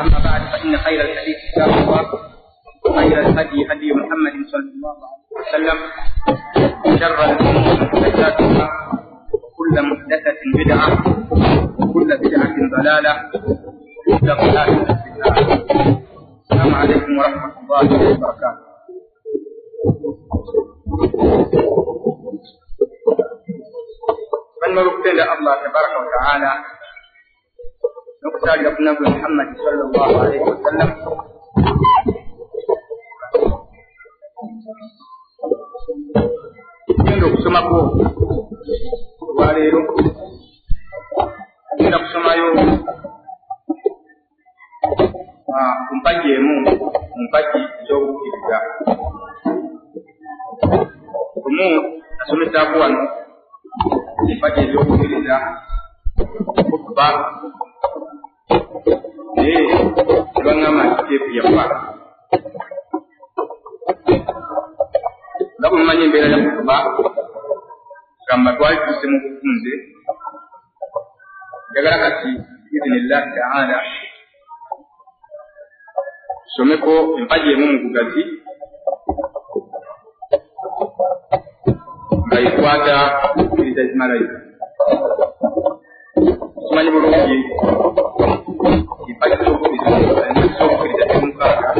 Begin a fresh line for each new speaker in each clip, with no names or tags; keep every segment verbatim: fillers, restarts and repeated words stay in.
أما بعد فإن خير الحديث كتاب الله وخير الهدي هدي محمد صلى الله عليه وسلم وشر الأمور محدثاتها وكل محدثة بدعة وكل بدعة ضلالة وكل ضلالة في النار. السلام عليكم ورحمة الله وبركاته. Bannange okutenda Allah tabaraka wa taala n'okusaalira ku Nabbi Muhammad sallallahu alaihi wasallam, tugenda okusomako olwaleero, tugenda kusomayo ku mpagi emu mu mpagi ez'obukkiriza. Lumu nasomesaako wano empagi ez'obukkiriza kutuba, naye tebaŋŋamba nti teepu yafa. Nga bwe mumanyi embeera ya kutuba, gamba twali tuuse mu bufunze. Njagala kati biizinillahi taala tusomeko empagi emu mu bugazi nga ekwata okukkiriza zimalayika. Tumanyi bulungi empagi z'obukkiriza emukaaga: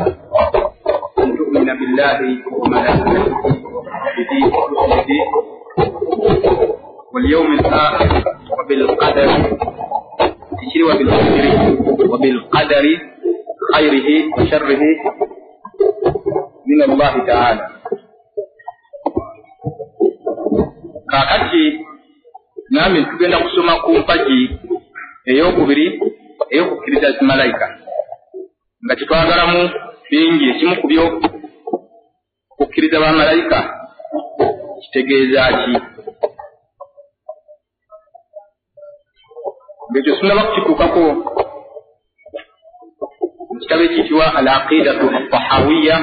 an tu'mina billahi wa malaikatihi wa kutubihi wa rusulihi wal yawmil akhir wa bil qadari tikiri wa bil qadari wa bil qadari khairihi wa sharrihi min Allahi ta'ala. Kaakati nami tugenda kusoma ku mpagi ey'okubiri ey'okukkiriza zimalayika, nga kyetwagalamu bingi. Ekimu ku byo okukkiriza bamalayika kitegeeza ki? Ng'ekyo sinnaba kukituukako, mu kitabo ekiyitibwa Al-Aqidatu Tahawiya,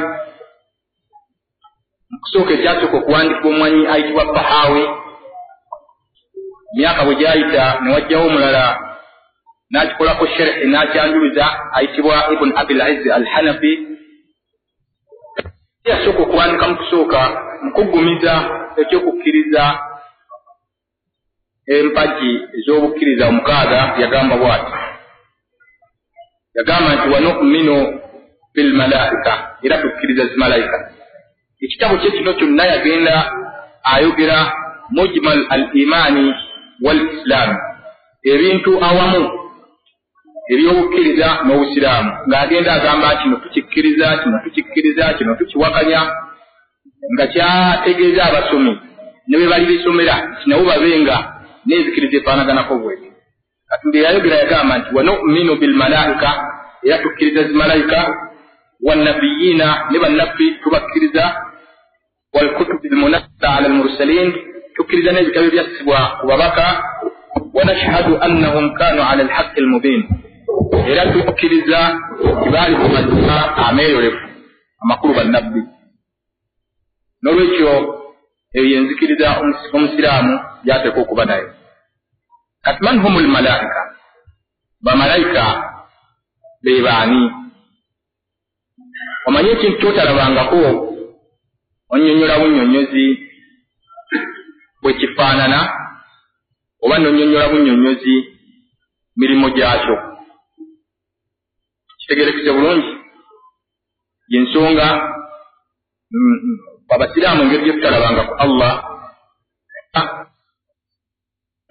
mu kusooka ekyasooka okuwandiikibwa omwanyi ayitibwa Tahawi, myaka bwe gyayita ne wajjawo omulala n'akikolako sherhi n'akyanjuluza ayitibwa Ibn Abil Izz Al-Hanafi. Yasooka okuwandika mu kusooka mu kuggumiza ekyokukkiriza empagi ez'obukkiriza omukaaga, yagamba bw'ati, yagamba nti wanu'minu bilmalaika, era tukkiriza zimalayika. Ekitabo kye kino kyonna yagenda ayogera mujmal al-imaani wal islam, ebintu awamu ebyobukkiriza n'obusiraamu, ng'agenda agamba kino tukikkiriza, kino tukikkiriza, kino tukiwakanya, nga kyategeeza abasomi ne bwe bali bisomera nabo babenga n'enzikiriza efaanaganako bwetyo. Kati bye yayogera yagamba nti wanu'minu bilmalaika, era tukkiriza zimalayika, wannabiyiina, ne bannabbi tubakkiriza, walkutubi lmunazzala ala almursalin, tukkiriza n'ebitabo ebyassibwa ku babaka, wanashhadu annahum kanu ala alhaqi almubin, era tukkiriza nti baali ku mazima ameeyolefu, amakulu bannabbi. N'olwekyo eyo yenzikiriza omusiraamu gy'ateekwa okuba nayo. Kati man humu lmalaika, bamalayika be baani? Omanye ekintu ky'otalabangako onnyonnyola bunnyonnyozi bwe kifaanana, oba n'onnyonnyola bunnyonnyozi mirimu gyakyo. Kitegeerekese bulungi y'ensonga abasiraamu engeri gye tutalabanga ku Allah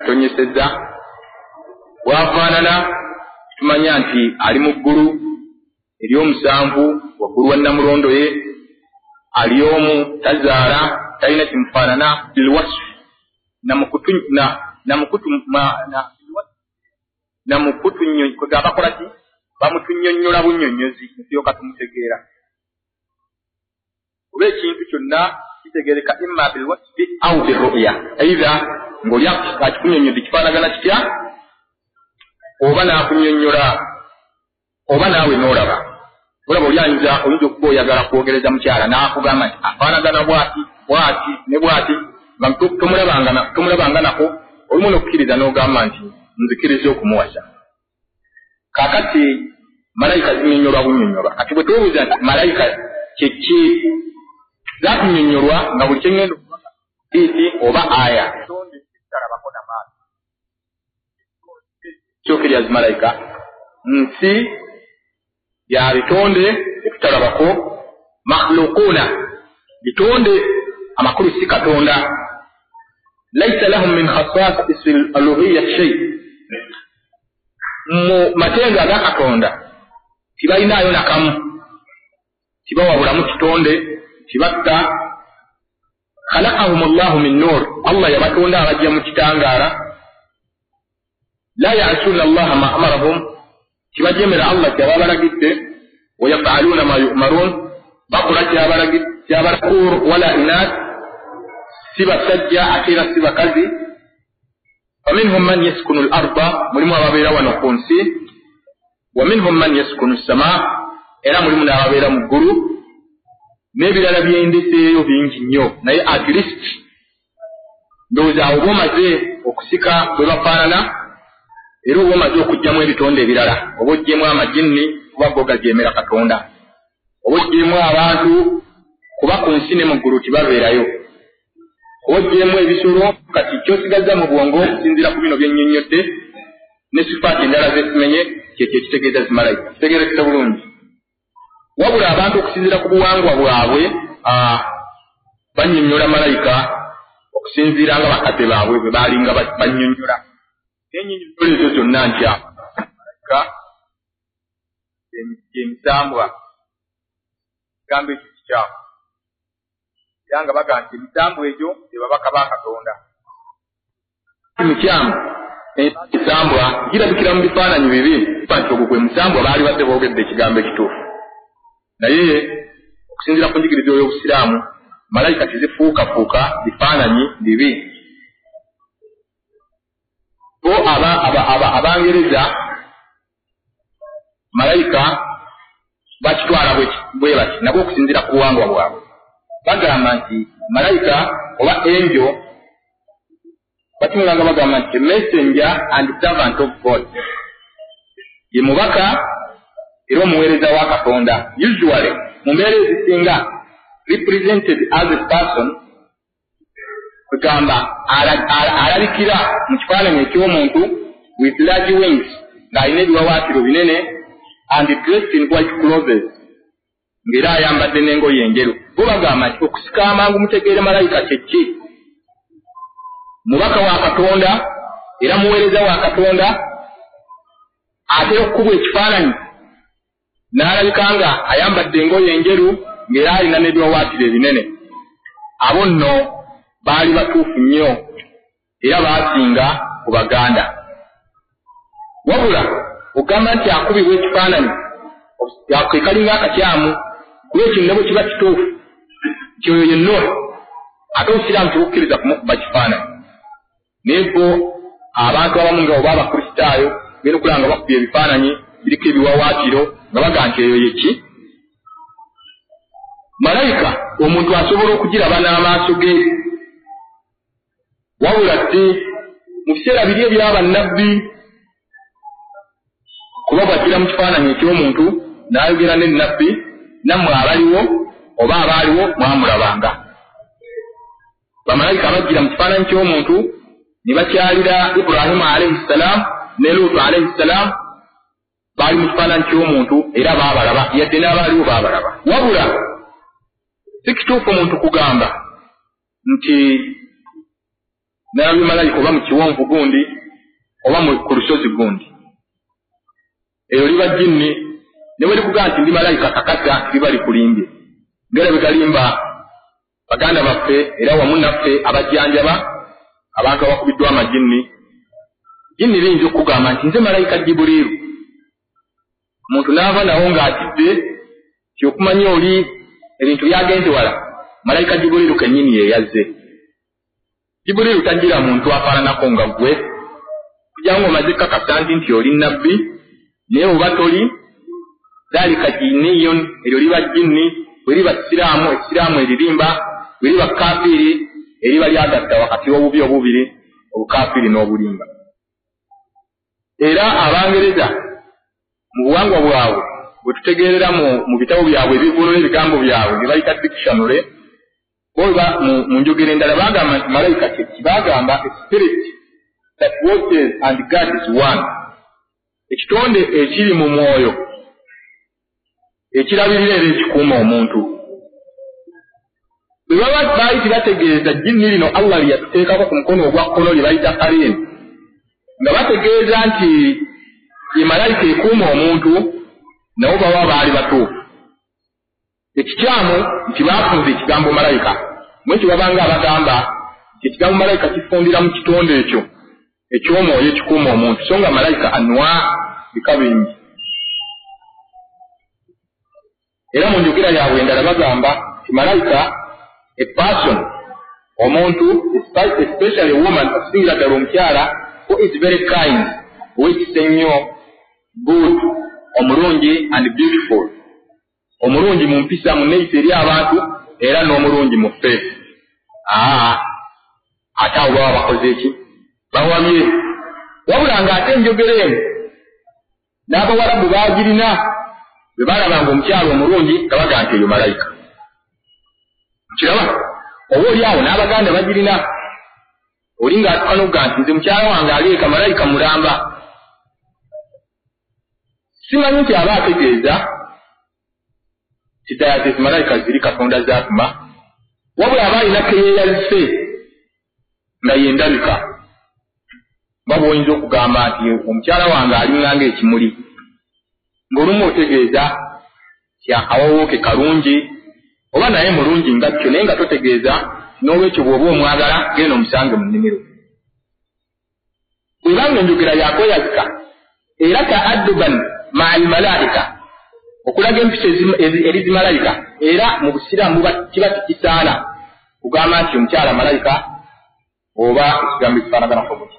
tonyesezza bwafaanana, tumanya nti ali mu ggulu ery'omusanvu waggulu wa nnamulondo ye, ali omu, tazaala, talina kimufaanana, bilwasfu namukutubakola ki bamutunnyonnyola bunnyonnyozi tusooka tumutegeera. Oba ekintu kyonna kitegeereka imma bilwasfi au birruya, eitha ng'oli akikunnyonnyodde kifaanagana kitya, oba n'akunnyonnyola, oba naawe n'olaba. Olaba oli ayinza oyinza okuba oyagala kwogereza mukyala n'akugamba nti afaanagana bw'ati bw'ati ne bw'ati, nga tomulabanga nako, olumu n'okukkiriza n'ogamba nti nzikiriza okumuwasa. Kaakati Malayika zinnyonnyolwa bunnyonnyolwa. Kati bwe tubuuza nti malayika kyeki, zakunnyonnyolwa nga buli kyengendo hadiisi oba aya kyokerya zimalayika nsi ya bitonde etutalabako, makhluquuna bitonde, amakulu si Katonda. Laisa lahum min khasa'is al-uluhiyya shay, mu matenga aga Katonda tibalinayo nakamu, tibawabulamu kitonde, tibatta. Khalaqahum Allahu min nur, Allah yabatonda abajja mu kitangaala. La ya'suna Allaha ma amarahum, tibajemera Allah kyababalagidde. Wa yaf'aluna ma yu'marun, bakola kyabalakur wala inath, si basajja ate era si bakazi. Faminhum man yaskunu al-arda, mulimu ababeera wano ku nsi. Wa minhum man yaskunu as-samaa, era mulimu n'ababeera mu ggulu. N'ebirala byendeseeyo bingi nnyo, naye at least ndowooza awo oba omaze okusika bwe bafaanana, era oba omaze okuggyamu ebitonde ebirala, oba oggyemu amajinni kuba go gajeemera Katonda, oba oggyemu abantu kuba ku nsi ne mu ggulu tibabeerayo, oba oggyemu ebisolo. Kati ky'osigazza mu bwongo okusinziira ku bino bye nnyonnyodde ne sifaati endala zesimenye, kyekyo ekitegeeza zimalayika. Kitegeerekese bulungi. Wabula abantu okusinziira ku buwangwa bwabwe bannyonnyola malayika okusinziira nga bakadde baabwe bwe baalinga bannyonnyola. Ennyonnyola ezo zonna ntya malayika emisambwa, ekigambo ekyo kikyamu, era nga bagamba nti emisambwa egyo be babaka ba Katonda. Mukyamu, emisambwa girabikira mu bifaananyi bibi, nti ogwo gwe musambwa baali badde boogedde ekigambo ekituufu. Naye okusinziira ku njigiriza y'Obusiraamu, malayika tezifuukafuuka bifaananyi bibi. Bo Abangereza malayika bakitwala bwe bati, nabo okusinziira ku buwangwa bwabwe bagamba nti malayika oba angel, bakiŋŋanga bagamba nti messenger and servant of God, ye mubaka era omuweereza wa Katonda. Usually mu mbeera ezisinga represented as a person, kugamba alabikira mu kifaananyi eky'omuntu with large wings, ng'alina ebiwawaatiro binene, and dressed in white clothes, ng'era ayambadde n'engoye enjeru. Bo bagamba nti okusika amangu mutegeere malayika kye ki, mubaka wa Katonda era muweereza wa Katonda, atera okukubwa ekifaananyi n'alabika nga ayambadde engoye enjeru ng'era alina n'ebiwawaatiro ebinene. Abo nno baali batuufu nnyo era baasinga ku Baganda. Wabula ogamba nti akubibwa ekifaananyi kekalinga akakyamu, kuba ekyo ne bwe kiba kituufu nti oyo ye Nuh, ate Obusiraamu tebukkiriza kumukuba kifaananyi. Naye bo abantu abamu nga oba Abakristaayo genda okulaba nga bakubye ebifaananyi biriko ebiwawaatiro nga bagamba nti eyo ye ki malayika. Omuntu asobola okugiraba n'amaaso ge. Wabula si mu biseera biri ebyabannabbi, kuba bw'ajjira mu kifaananyi eky'omuntu n'ayogera ne nnabbi, nammwe abaliwo oba abaaliwo mwamulabanga. Bamalayika bajjira mu kifaananyi ky'omuntu ne bakyalira Ibrahimu alayhi ssalam ne Luutu alayhi ssalam, baali mu kifaananyi ky'omuntu era baabalaba, yadde n'abaaliwo baabalaba. Wabula si kituufu omuntu kugamba nti nalabye malayika oba mu kiwonvu gundi oba ku lusozi gundi. Eyo liba jinni, ne bwe likugamba nti ndi malayika kakasa liba likulimbye, ngera bwe galimba baganda baffe era wamu naffe abajjanjaba abantu abakubiddwa amajinni. Jinni liyinza okukugamba nti nze malayika Jibuliiru, omuntu n'ava nawo ng'atidde ti okumanya oli ebintu byagenze wala, malayika Jibuliiru kennyini ye yazze. Jibuliiru tajjira muntu afaananako nga ggwe, kujja ng'omaze kakasa nti nti oli nnabbi, naye oba toli. Dhalika jinniyun, eryo liba jinni. Bwe liba siraamu, ekisiraamu eririmba, bwe liba kafiiri, eriba lyagatta wakati w'obubi obubiri, obukafiiri n'obulimba. Era Abangereza mu buwangwa bwabwe bwe tutegeerera mu bitabo byabwe ebivvuunula ebigambo byabwe bye bayita dictionary, oba mu njogera endala bagamba nti malayika kye ki? Bagamba a spirit that watches and guards one, ekitonde ekiri mu mwoyo ekirabirira era ekikuuma omuntu. Bwe baba baali tebategeeza jinni lino Allah lye yatuteekako ku mukono ogwa kkono lye bayita qarin, nga bategeeza nti ye malayika ekuuma omuntu, nabo baba baali batuufu. Ekikyamu nti baafunza ekigambo malayika, mwekyo babanga abagamba nti ekigambo malayika kifundira mu kitonde ekyo eky'omwoyo ekikuuma omuntu, so nga malayika anwa bika bingi. Era mu njogera yaabwe endala bagamba nti malayika a person, omuntu, especially a woman, okusingira ddala omukyala, who is very kind, ow'ekisa ennyo, good, omulungi and beautiful, omulungi mu mpisa, mu nneeyisa eri abantu, era n'omulungi mu ffe. Aa, ate awo baba bakoze ki? Bawabye. Wabula ng'ate enjogera eno n'abawarabu baagirina, bwe balabanga omukyala omulungi nga bagamba nti eyo malayika. Kiraba oba oli awo n'abaganda bagirina, oli ng'atuuka n'okugamba nti nze mukyala wange aleeka malayika mulamba. Simanyi nti aba ategeeza nti ddala zi malayika ziri Katonda zaatuma, wabula aba alina keyeeyazise nga yendabika. Nga bw'oyinza okugamba nti omukyala wange alinganga ekimuli, ng'olumu otegeeza nti akawowo ke kalungi oba naye mulungi nga kyo, naye nga totegeeza n'olwekyo bw'oba omwagala genda omusange mu nnimiro. Bw'ebanga enjogera yakweyazika era ta'adduban ma'al malaika, okulaga empisa eri zimalayika, era mu busiraamu kiba tekisaana kugamba nti omukyala malayika oba ekigambo ekifaanaganako butyo.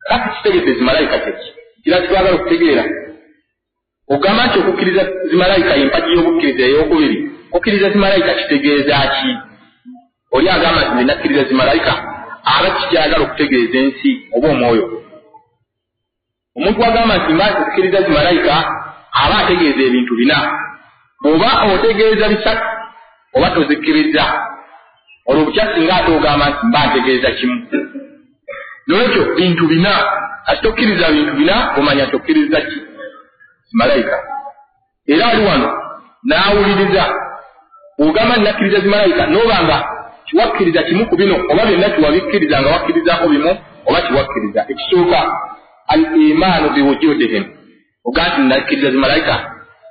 Kati kitegedde zimalayika kyeki? Kira kitwagala okutegeera. Ogamba nti okukkiriza zimalayika y'empagi y'obukkiriza ey'okubiri. Okukkiriza zimalayika kitegeeza ki? Oli agamba nti nze nakkiriza zimalayika, aba kikyagala okutegeeza ensi oba omwoyo. Omuntu agamba nti mba okukkiriza zimalayika aba ategeeza ebintu bina. Bw'oba otegeeza bisatu oba tozikkiriza, olwo bukya singa ate ogamba nti mba ntegeeza kimu. N'olwekyo bintu bina, ate tokkiriza bintu bina, omanya nti okkiriza ki? Zimalayika. Era ali wano n'awuliriza, bw'ogamba nti nakkiriza zimalayika, n'oba nga kiwakkiriza kimu ku bino oba byonna kiwabikkiriza nga wakkirizaako bimu oba kiwakkiriza. Ekisooka, al imaanu biwujudihim, ogamba nti nakkiriza zimalayika,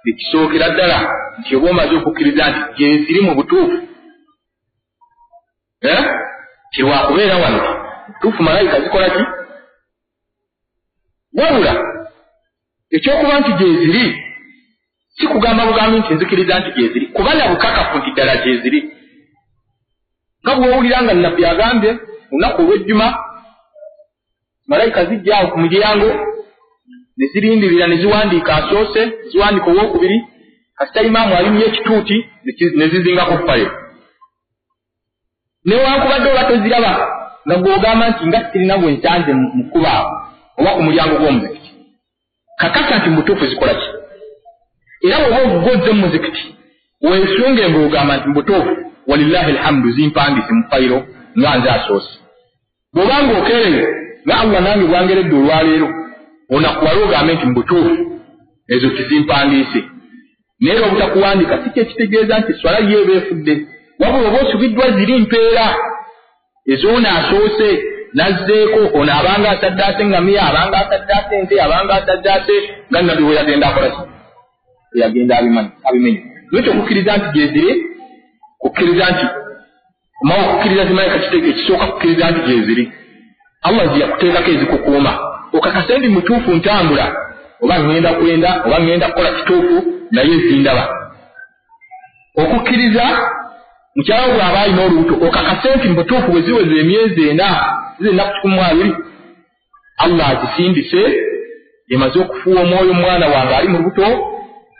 ekisookera ddala nti oba omaze okukkiriza nti gyeziri mu butuufu, eh? Kirwakubeera wano butuufu malayika zikola ki? Wabula ekyokuba nti gyeziri si kugamba bugambi nti nzikiriza nti gyeziri, kuba na bukakafu nti ddala gyeziri. Nga bw'owulira nga Nabbi agambye olunaku olw'ejjuma malayika zijja awo ku mulyango ne zirindirira ne ziwandiika asoose, ziwandiika owookubiri, kasita imaamu alinnya ekituuti ne zizingako fayiro. Newankubadde oba toziraba nga gw'ogamba nti nga sirina gwe nsanze mu kkubo awo oba ku mulyango gw'omuzikiti, kakasa nti mu butuufu zikola ki? Era bw'oba ogozze mu muzikiti weesunge ng'ogamba nti mu butuufu walillahi alhamdu zimpandiise mu fayiro nga nze asoose. Bw'oba ng'okeereye nga Allah nange bwangeredde olwaleero, onakuwale ogambe nti mu butuufu ezo tizimpandiise. Naye era obutakuwandiika si kyekitegeeza nti swala ye eba efudde, wabula oba osubiddwa ziri mpeera ez'ono asoose nazzeeko, ono abanga asaddaase ngamiya, abanga asaddaase ente, abanga asaddaase nga Nabbi bwe yagenda akola ki? Yagenda abimenya. N'ekyo okukkiriza nti gyeziri, kukkiriza nti omawo okukkiriza zimalayika kitegeeza ekisooka kukkiriza nti gyeziri. Allah gye yakuteekako ezikukuuma, okakase ndi mutuufu ntambula, oba ŋŋenda kwenda oba ŋŋenda kukola kituufu, naye zindaba. Okukkiriza mukyala bw'aba alina olubuto, okakase nti mubutuufu bwe ziweza emyezi ena, zize ennaku kikumi mu abiri, Allah azisindise, emaze okufuuwa omwoyo omwana wange ali mu lubuto,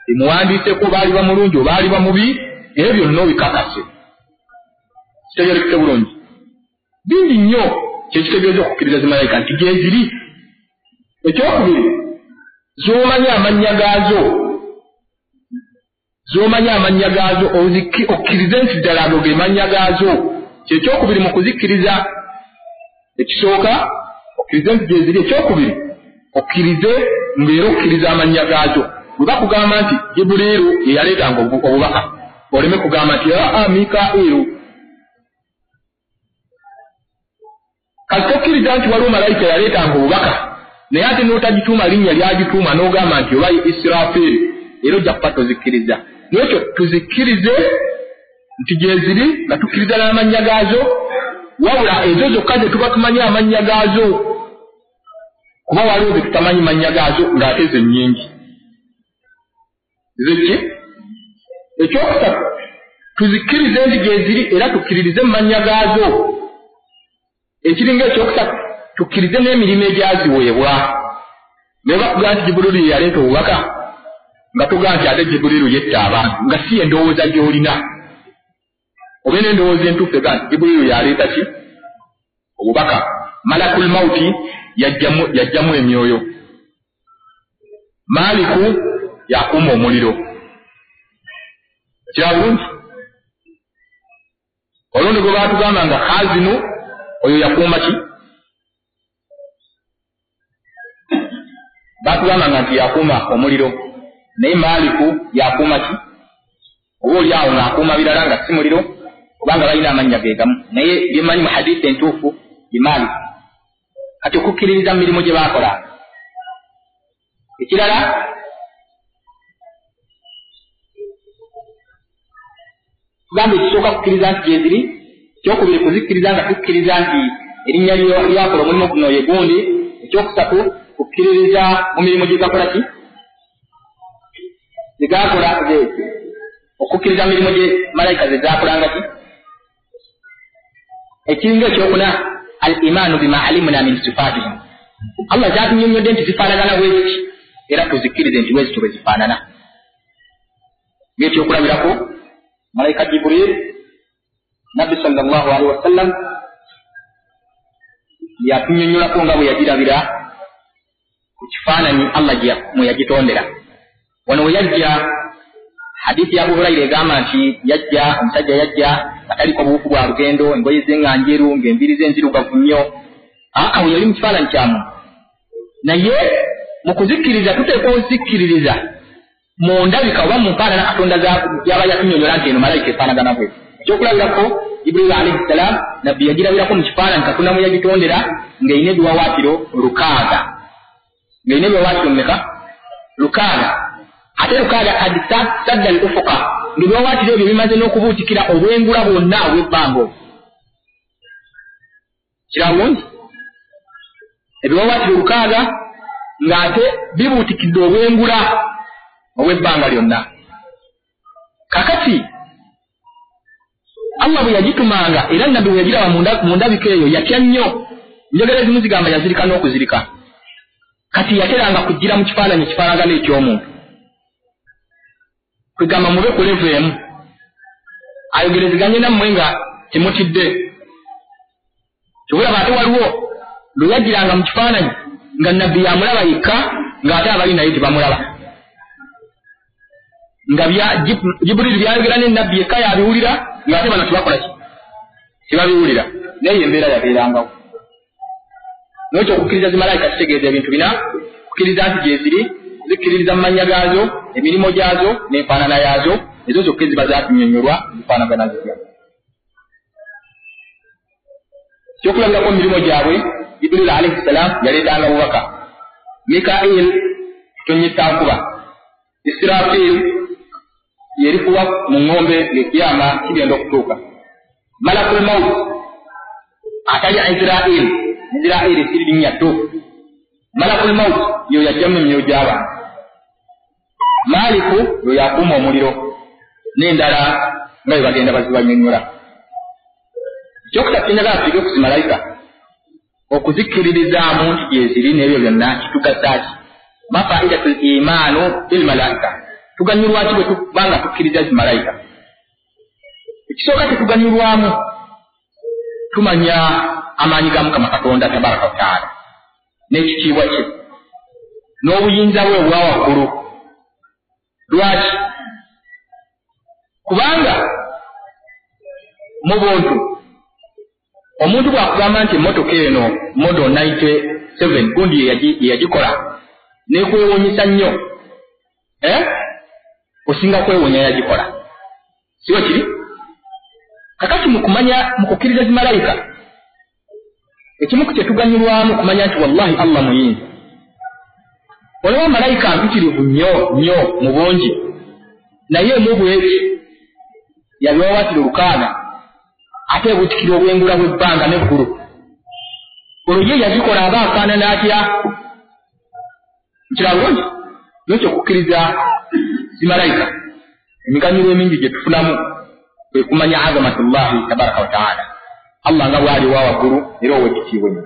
emuwandiiseko oba aliba mulungi oba aliba mubi, ebyo byonna obikakase. Kitegeerekese bulungi. Bingi nnyo kyekitegeeza okukkiriza zimalayika nti gyeziri. Ekyokubiri, z'omanyi amannya gaazo. Z'omanyi amannya gaazo okkirize nti ddala ago ge mannya gaazo. Kyekyokubiri mu kuzikkiriza, ekisooka okkirize nti gyeziri, ekyokubiri okkirize ng'era okkiriza amannya gaazo. Bwe bakugamba nti Jibuliiru ye yaleetanga obubaka, oleme kugamba nti aa Mikairu. Kati tokkiriza nti waliwo malayika yaleetanga obubaka, naye ate n'otagituuma linnya lyagituuma n'ogamba nti oba ye Israfiri, era ojja kuba tozikkiriza. N'ekyo tuzikkirize nti gyeziri nga tukkiriza n'amannya gaazo, wabula ezo zokka ze tuba tumanyi amannya gaazo, kuba waliwo ze tutamanyi mannya gaazo ng'ate ze nnyingi. Zeki? Ekyokusatu, tuzikkirize nti gyeziri era tukkiririze mu mannya gaazo. Ekiringa ekyokusatu, tukkirize n'emirimu egyaziweebwa. Naye bakugamba nti Jibuliiru ye yaleeta obubaka, nga tugamba nti ate Jibuliiru yetta abantu, nga si endowooza gy'olina. Obe n'endowooza entuufu ega nti Jibuliiru yaleeta ki? Obubaka. Malakul mauti yajjamu yajjamu emyoyo. Maaliku yakuuma omuliro. Kira bulungi? Olundi gwe baatugamba nga Khazinu, oyo yakuuma ki? Baatugamba nga nti yakuuma omuliro, naye Maaliku yakuuma ki? Oba oli awo ng'akuuma birala nga si muliro, obanga balina amannya ge gamu, naye bye mmanyi mu hadiisi entuufu ye Maaliku. Kati okukkiririza mu mirimu gye baakolanga. Ekirala, tugamba ekisooka kukkiriza nti gyeziri, ekyokubiri kuzikkiriza nga tukkiriza nti erinnya lyakola omulimu guno ye gundi, ekyokusatu kukkiririza mu mirimu gye gakola ki? Ze gakola, okukkiriza mu mirimu gye malayika ze zaakolanga ki? Ekiringa ekyokuna, al imaanu bima alimna min sifatihim. Allah kyatunyonnyodde nti zifaanagana bweziti, era tuzikkirize nti bwezityo bwe zifaanana. Ng'ekyokulabirako, malayika Jibril, Nabbi sallallahu alaihi wasallam yatunyonnyolako nga bwe yagirabira ku kifaananyi Allah mwe yagitondera. Wano we yajja, hadithi ya Abu Huraira egamba nti yajja omusajja yajja nga taliko buwufu bwa lugendo, engoye ze nga njeru, ng'enviiri ze nzirugavu nnyo. Aa, we yali mu kifaananyi kya muntu. Naye mu kuzikkiriza tuteekwa okuzikkiririza mu ndabika oba mu nfaanana Katonda yaba yatunyonnyola nti eno malayika efaanagana bw'eti. Ekyokulabirako, Jibriil alayhi salaam Nabbi yagirabirako mu kifaananyi Katonda mwe yagitondera ng'erina ebiwawaatiro lukaaga. Ng'erina ebiwawaatiro mmeka? Lukaaga. Ate lukaaga kad sadda al ufuqa, ng'ebiwawaatiro ebyo bimaze n'okubuutikira obwengula bwonna obw'ebbanga obwo. Kira bulungi? Ebiwawaatiro lukaaga ng'ate bibuutikidde obwengula obw'ebbanga lyonna. Kakati Allah bwe yagitumanga era Nabbi bwe yagiraba mu ndabika eyo yatya nnyo. Njogera ezimu zigamba yazirika n'okuzirika. Kati yateranga kujjira mu kifaananyi ekifaanagana eky'omuntu, kwegamba mube ku levo emu, ayogerezeganye nammwe nga temutidde. Kyobulaba ate waliwo lwe yajjiranga mu kifaananyi nga Nabbi yamulaba yekka, ng'ate abali naye tebamulaba, nga Jibriil byayogera ne Nabbi yekka yabiwulira, ng'ate bano tebakola ki? Tebabiwulira. Naye embeera yabeerangawo. N'ekyo okukkiriza zimalayika kitegeeza ebintu bina: kukkiriza nti gyeziri, kuzikkiririza mu mannya gaazo, emirimu gyazo n'enfaanana yaazo, ezo zokka eziba zaatunyonnyolwa zifaanagana zitya. Ekyokulabirako mu mirimu gyabwe, Jibriil alayhi salaam yaleetanga bubaka, Mikail kutonnyesa nkuba, Israfil yerifuwa mu ŋŋombe ng'ekiyama kigenda okutuuka, Malakul maut atali Israil, Israil si linnya ttuufu, Malakul maut yo yajjamu emyoyo gy'abantu, Maaliku yo yakuuma omuliro, n'endala nga bwe bagenda bazibanyonnyola. Ekyokusatu kyenjagala tuyige ku zimalayika, okuzikkiririzaamu nti gyeziri n'ebyo byonna kitugasa ki? Mafaidatul imaanu bil malaika, tuganyulwa ki bwe tuba nga tukkiriza zimalayika? Ekisooka tetuganyulwamu, tumanya amaanyi ga Mukama Katonda tabaraka wa taala n'ekitiibwa kye n'obuyinza bwe obwa waggulu. Lwaki? Kubanga mu buntu omuntu bw'akugamba nti emmotoka eno model ninety seven gundi yeyagikola nekwewuunyisa nnyo, eh? Osinga kwewuunya yagikola, siwe kiri? Kakati mu kumanya, mu kukkiriza zimalayika, ekimu ku kyetuganyulwamu kumanya nti wallahi Allah muyinza. Olaba malayika mpitirivu nnyo nnyo mu bungi, naye emu bweti yabiwawatira olukaaga, ate ebuutikira obwengula bw'ebbanga n'eggulu. Olwo ye yazikola aba afaanana atya? Nkiraba bulungi? N'ekyo okukkiriza zimalayika, emiganyulo emingi gye tufunamu kwe kumanya azamatullahi tabaraka wa taala, Allah nga bw'ali owa waggulu era ow'ekitiibwa ennyo.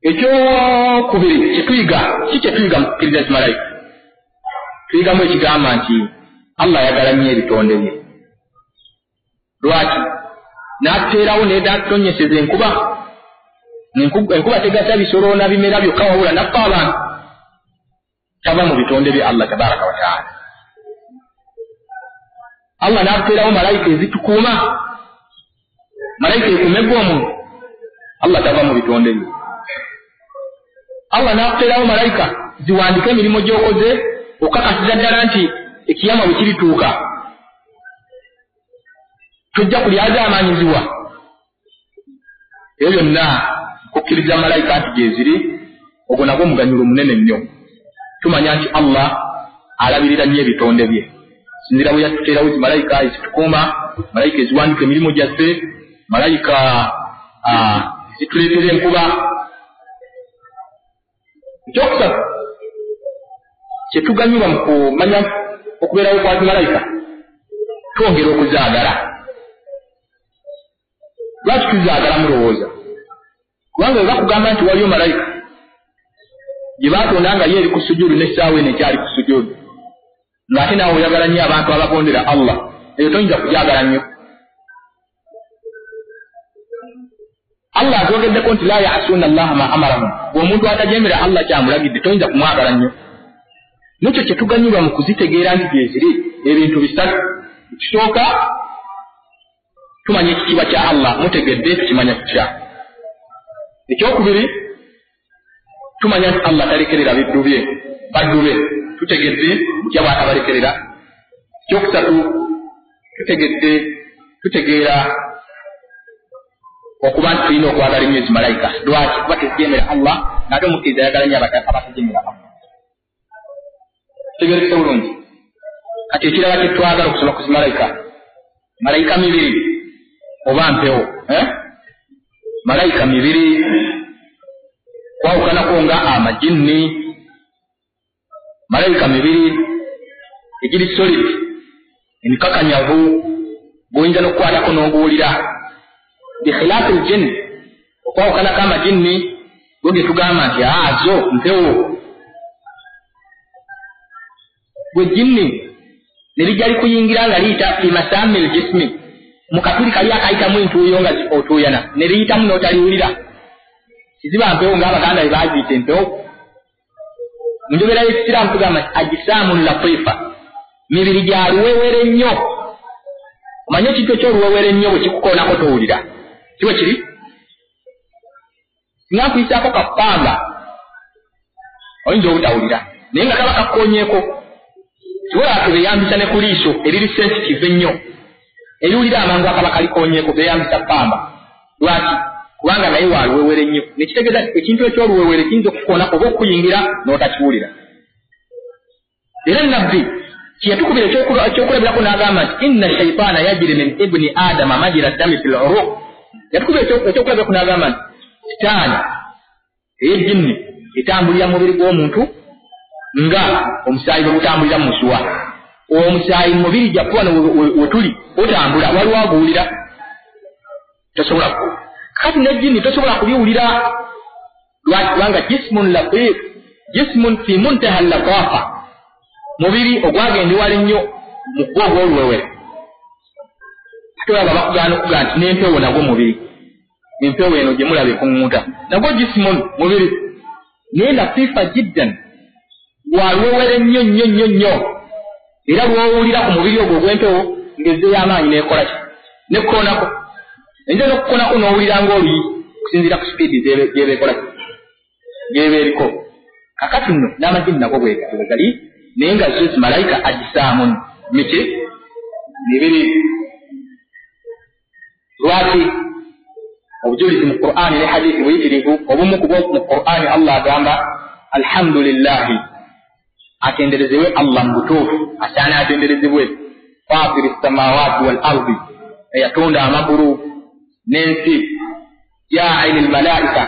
Ekyokubiri kyetuyiga, ki kyetuyiga mu kukkiriza zimalayika? Tuyigamu ekigamba nti Allah ayagala nnyo ebitonde bye. Lwaki? N'atuteerawo n'atutonyeseza enkuba. Enkuba tegasa bisolo na bimera byokka, wabula naffe abantu tava mu bitonde bye Allah tabaraka wa taala. Allah n'atuteerawo malayika ezitukuuma, malayika ekuumegwa omuntu, Allah tava mu bitonde bye. Allah n'akuteerawo malayika ziwandike emirimu gy'okoze, okakasiza ddala nti ekiyama bwe kirituuka tojja kulyazaamaanyizibwa. Ebyo byonna kukkiriza malayika nti gyeziri, ogwo nagwo muganyulo munene nnyo. Tumanya nti Allah alabirira nnyo ebitonde bye. Sinzira bwe yatuteerawo zi malayika ezitukuuma, malayika eziwandika emirimu gyaffe, malayika ezituleetera enkuba. Ekyokusatu kyetuganyulwa mu kumanya okubeerawo kwa zimalayika, twongera okuzaagala. Lwaki tuzaagala mulowooza? Kubanga bwe bakugamba nti waliyo malayika gye baatonda nga ye eri ku sujuudu n'essaawa eno ekyali ku sujuudu, ng'ate naawe oyagala nnyo abantu abagondera Allah, eyo toyinza kugyagala nnyo. Allah atwogeddeko nti la ya'suuna Allaha ma amarahum, bw'omuntu atajemera Allah kyamulagidde toyinza kumwagala nnyo. N'ekyo kye tuganyulwa mu kuzitegeera nti gyeziri ebintu bisatu. Ekisooka, tumanya ekitiibwa kya Allah, mutegedde tukimanya tutya. Ekyokubiri, tumanya nti Allah talekerera biddu bye, baddu be, tutegedde butya bw'atabalekerera. Ekyokusatu, tutegedde tutegeera okuba nti tulina okwagala ennyo ezimalayika. Lwaki? Kuba tezijemera Allah, n'ate omukkiriza ayagala nnyo abatajemera Allah. Tutegeerekese bulungi. Kati ekirala kye twagala okusoma ku zimalayika, malayika mibiri oba mpewo, eh? Malayika mibiri kwawukanako nga amajinni. Malayika mibiri egiri solid, emikakanyavu, gwoyinza n'okukwatako n'oguwulira. Bikhilaafi ljinn, okwawukanako amajinni go ge tugamba nti aa zo mpewo. Gwe jinni ne lijja likuyingira nga liyita fi masaami ljismi, mu katuli kali akayitamu entuuyo nga otuuyana, ne liyitamu n'otaliwulira. Kiziba mpewo ng'Abaganda bwe baaziyita empewo. Mu njogera y'Ekisiraamu tugamba nti ajisaamun latifa, mibiri gya luwewere nnyo. Omanye ekintu eky'oluwewere ennyo bwe kikukoonako towulira, si bwe kiri? Singa nkuyisaako kapanga oyinza obutawulira, naye nga kaba kakkoonyeeko. Kibola beeyambisa ne ku liiso eriri sensitive ennyo, eriwulira amangu akaba kalikoonyeeko, beeyambisa ppamba. Lwaki? Kubanga naye wa luwewere nnyo. Nekitegeeza nti ekintu eky'oluwewere kiyinza okukoonako oba okukuyingira n'otakiwulira. Era Nabbi kyeyatukubira ekyokulabirako n'agamba nti inna shaitaana yajiri min ibni adama majira ddami fil uruq. Yatukubira ekyokulabirako n'agamba nti sitaani ey'ejjinni etambulira mu mubiri gw'omuntu nga omusaayi bwe gutambulira mu musuwa. Omusaayi mu mubiri gyaffe wano we tuli otambula, waliwo aguwulira? Tosobola kuwulira. Kati n'ejjinni tosobola kubiwulira. Lwaki? Kubanga jismun latif, jismun fi muntaha latafa, mubiri ogwagenda ewala ennyo mu gwo ogw'oluwewere. Ate olaba bakugaana okugaa nti n'empewo nagwo mubiri, empewo eno gye mulaba ekuŋŋunta nagwo jismun mubiri, naye latifa jiddan, Waluwewere nnyo nnyo nnyo nnyo, era lw'owulira ku mubiri ogwo ogw'empewo ng'ezzeeyo amaanyi n'ekola ki, nekkoonako. Eyinza n'okukoonako n'owulira ng'oluyi okusinziira ku sipiidi gy'eba ekola ki, gy'eba eriko. Kakati nno n'amajini nago bwe gatyo bwe gali, naye nga zo zimalayika ajisaamu miki mibiri. Lwaki? Obujulizi mu Qur'ani ne hadithi buyitirivu. Obumu ku bwo mu Qur'ani Allah agamba alhamdulillahi, atenderezebwe Allah mu butuufu, asaana atenderezebwe, fatiri samawati wal ardi, eyatonda amagulu n'ensi, jaili lmalaika,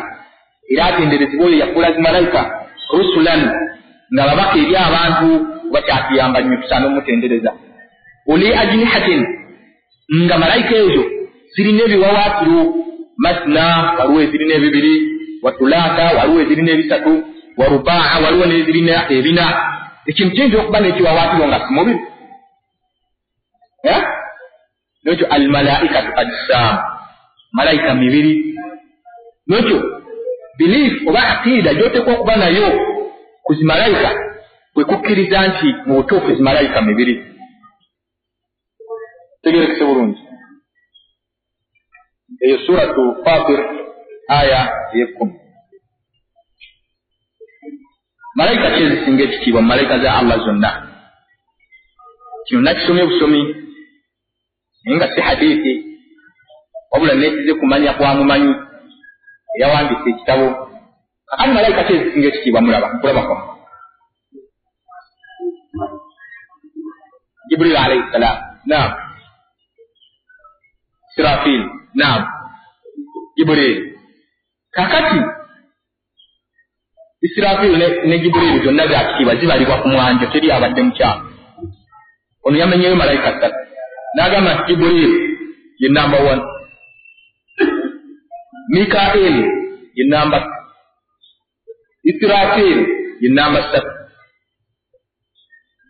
era atenderezebwe oyo yafuula zimalayika rusulan, nga babaka eri abantu, bakyatuyamba nnyo, tusaana omutendereza. Uli ajnihatin, nga malayika ezo zirina ebiwawaatiro, masna waliwo ezirina ebibiri, watulaata waliwo ezirina ebisatu, warubaa waliwo n'ezirina ebina. Ekintu kiyinza okuba n'ekiwawaatiro nga si mubiri. N'ekyo almalaikatu ajsaamu, malayika mibiri. N'ekyo belief oba aqiida gy'oteekwa okuba nayo ku zimalayika kwe kukkiriza nti mu butuufu zimalayika mibiri. Tegerekese bulungi. Eyo suratu Fatir aya ey'ekkumi. Malayika ki ezisinga ekitiibwa mu malayika za Allah zonna? Kino nakisomye busomi, naye nga si hadithi, wabula nekize kumanya kwa mumanyi eyawandiise ekitabo. Kakati malayika ki ezisinga ekitiibwa mulaba nkulaba kwammwe? Jibril alayhi salam, naam. Israfil, naam. Jibril. Kakati Israfil ne, ne Jibril zonna za kitiibwa, zibalibwa ku mwanjo, teri abadde mukyamu. Ono yamenyeyo malayika ssatu n'agamba nti Jibril ye namba one, Mikael ye namba two, Israfil ye namba ssatu.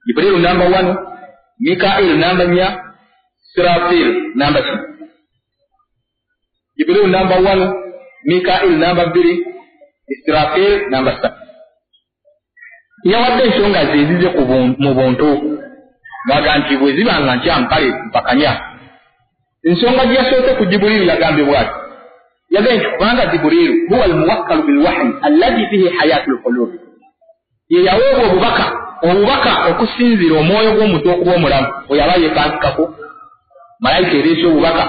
Jibril namba one, Mikael namba nnya, Israfil namba ki. Jibril namba one, Mikael namba bbiri, Israfil namba ssatu. Yawadde ensonga ze ezize mu buntu, ng'aga nti bwe ziba nga nkyamu kale mpakanya. Ensonga gye yasoose ku Jibriilu yagambye bw'ati, yagambye nti kubanga Jibriilu huwa almuwakkalu bilwahyi alladhi fihi hayatu lqulubi, ye yaweebwa obubaka, obubaka okusinziira omwoyo gw'omuntu okuba omulamu, oyo aba yeepankikako. Malayika ereese obubaka,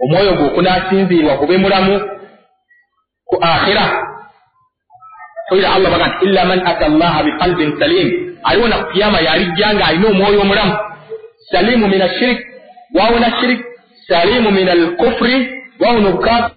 omwoyo gwe okunaasinziirwa gube mulamu ku akhira. Toyira Allah baga nti illa man ata Allaha biqalbin salim, aliwona ku kiyama yalijja ng'alina omwoyo omulamu, salimu min ashirik, gwawona shirik, salimu min alkufri, gwawona obukaafiri.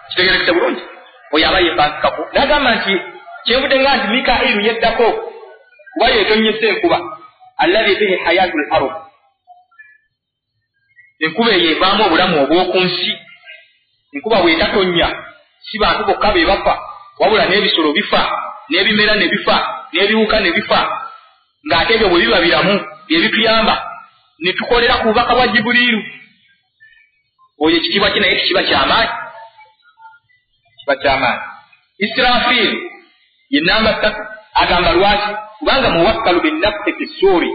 Kitegerekese bulungi. Oyo aba yeepankikako. N'agamba nti kyenvudde nga nti Mikailu yeddako kuba yeetonnyesa enkuba, alladhi bihi hayatu l ard, enkuba eyo evaamu obulamu obw'oku nsi. Enkuba bw'etatonnya si bantu bokka be bafa, wabula n'ebisolo bifa, n'ebimera ne bifa, n'ebiwuka ne bifa, ng'ate ebyo bwe biba biramu bye bituyamba ne tukolera ku bubaka bwa Jibuliiru. Oyo ekitiibwa kye naye tekiba kyamaanyi, kiba kyamaanyi. Israfil ye namba ssatu, agamba lwaki? Kubanga muwakkalu binnafsi fi ssuuri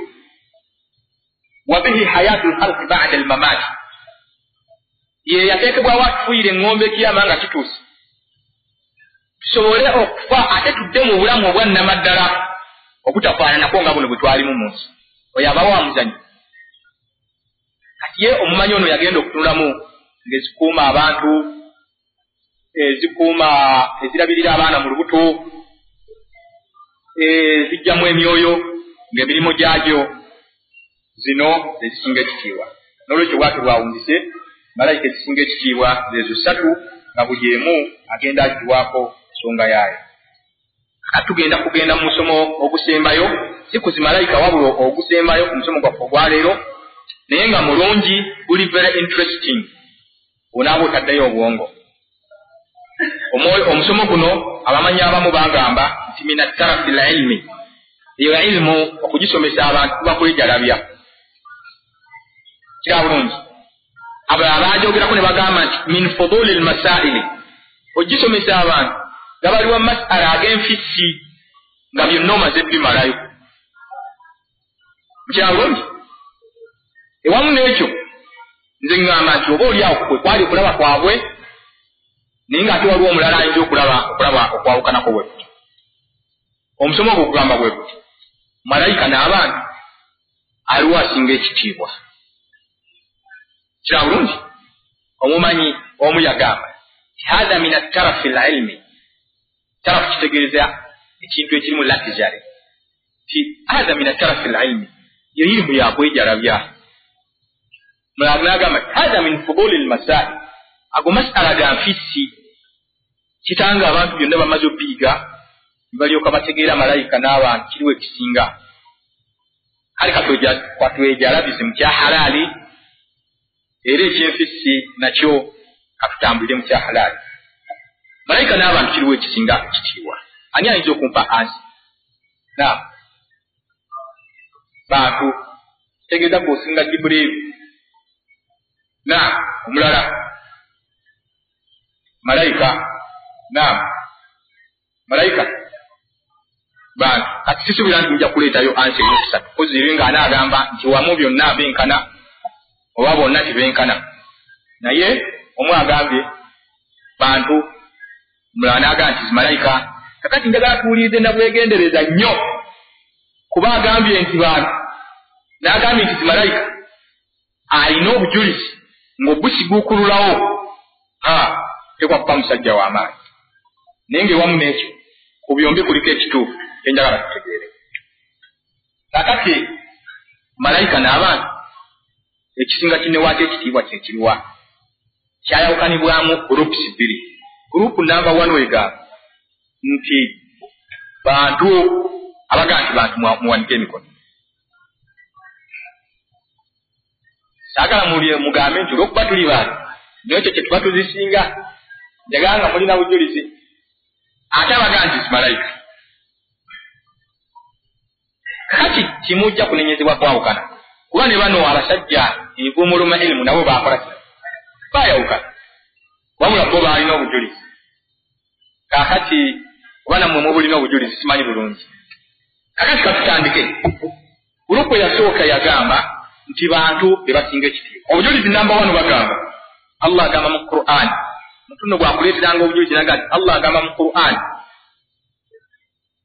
wa bihi hayatu lkhalqi bada almamaati, ye yateekebwawo atufuuyira eŋŋombe ekiyama nga kituuse, tusobole okufa ate tudde mu bulamu obwa nnamaddala obutafaananako nga buno bwe twalimu mu nsi. Oyo abawo amuzanyo. Kati ye omumanyi ono yagenda okutunulamu ng'ezikuuma abantu, ezikuuma ezirabirira abaana mu lubuto, ezijjamu emyoyo, ng'emirimu gyagyo zino ezisinga ekitiibwa. N'olwekyo bwatyo bwawunzise malayika ezisinga ekitiibwa zezo ssatu, nga buli emu agenda agiwaako ensonga yaayo. Kati tugenda kugenda mu musomo ogusembayo, si ku zimalayika wabula ogusembayo ku musomo gwaffe ogwaleero, naye nga mulungi, guli very interesting, onaaba otaddeyo obwongo. Omusomo guno abamanyi abamu bagamba nti min atarafi lilmi, Eyo ilimu okugisomesa abantu kuba kwejalabya. Kira bulungi. Abalala baajogerako ne bagamba nti min fuduli lmasaili, ogisomesa abantu nga baliwa masala ag'enfissi nga byonna omaze bimalayo. Mukira bulungi. Ewamu n'ekyo nze ŋŋamba nti oba oli awo kwe kwali okulaba kwabwe, naye ng'ate waliwo omulala ayinza okulaba okulaba okwawukanako bwe kutyo. Omusomo ogwo ogugamba bwe kutyo, malayika n'abantu aliwo asinga ekitiibwa. Kira bulungi. Omumanyi omu yagamba hatha min attarafi lilmi, tarafu kitegeeza ekintu ekirimu luxury, ti hatha min attarafi lilmi, yo ilimu yakwejalabya. Mulala n'agamba hatha min fuduli lmasail, ago masala ga nfissi, kitanga abantu byonna bamaze obiyiga ne balyoka bategeera malayika n'abantu kiriwo ekisinga. Kale katwejalabize mu kya halaali, era ekyenfissi nakyo katutambulire mu kya halaali. Malayika n'abantu kiriwo ekisinga ekitiibwa. Ani ayinza okumpa ansi? Na bantu kitegeeza gwe osinga Jibuliiru. Na omulala malayika. Na malayika bantu. Kati sisuubira nti mujja kuleetayo ansi eyokusatu, kozi eri nga anaagamba nti wamu byonna benkana oba bonna tebenkana, naye omu agambye bantu, omulala n'agamba nti zimalayika. Kakati njagala tuwulirize nabwegendereza nnyo, kuba agambye nti bantu n'agambye nti zimalayika, alina obujulizi ng'obusiguukululawo ha tekwa kuba musajja w'amaanyi. Naye ng'ewamu n'ekyo ku byombi kuliko ekituufu enjagala tutegeere. Kakati malayika n'abantu ekisinga kinnewaako ekitiibwa kye kiriwa? Kyayawukanibwamu groups bbiri. Group namba one egamba nti bantu, abagamba nti bantu muwanike emikono. Saagala mugambe nti olw'okuba tuli bantu n'ekyo kye tuba tuzisinga, njagala nga mulina bujulizi. Ate abagamba nti malayika. Kati kimujja kunenyezebwa kwawukana, kuba ne bano abasajja envuumuluma ilimu nabo baakola kino, baayawukana, wabula bo baalina obujulizi. Kaakati oba nammwe mubulina obujulizi simanyi bulungi. Kakati katutandike. Gurupu eyasooka yagamba nti bantu be basinga ekitiibwa. Obujulizi namba wano bagamba Allah agamba mu Qur'an, mutuno bwakuleeteranga obujulizi naga nti Allah agamba mu Qur'an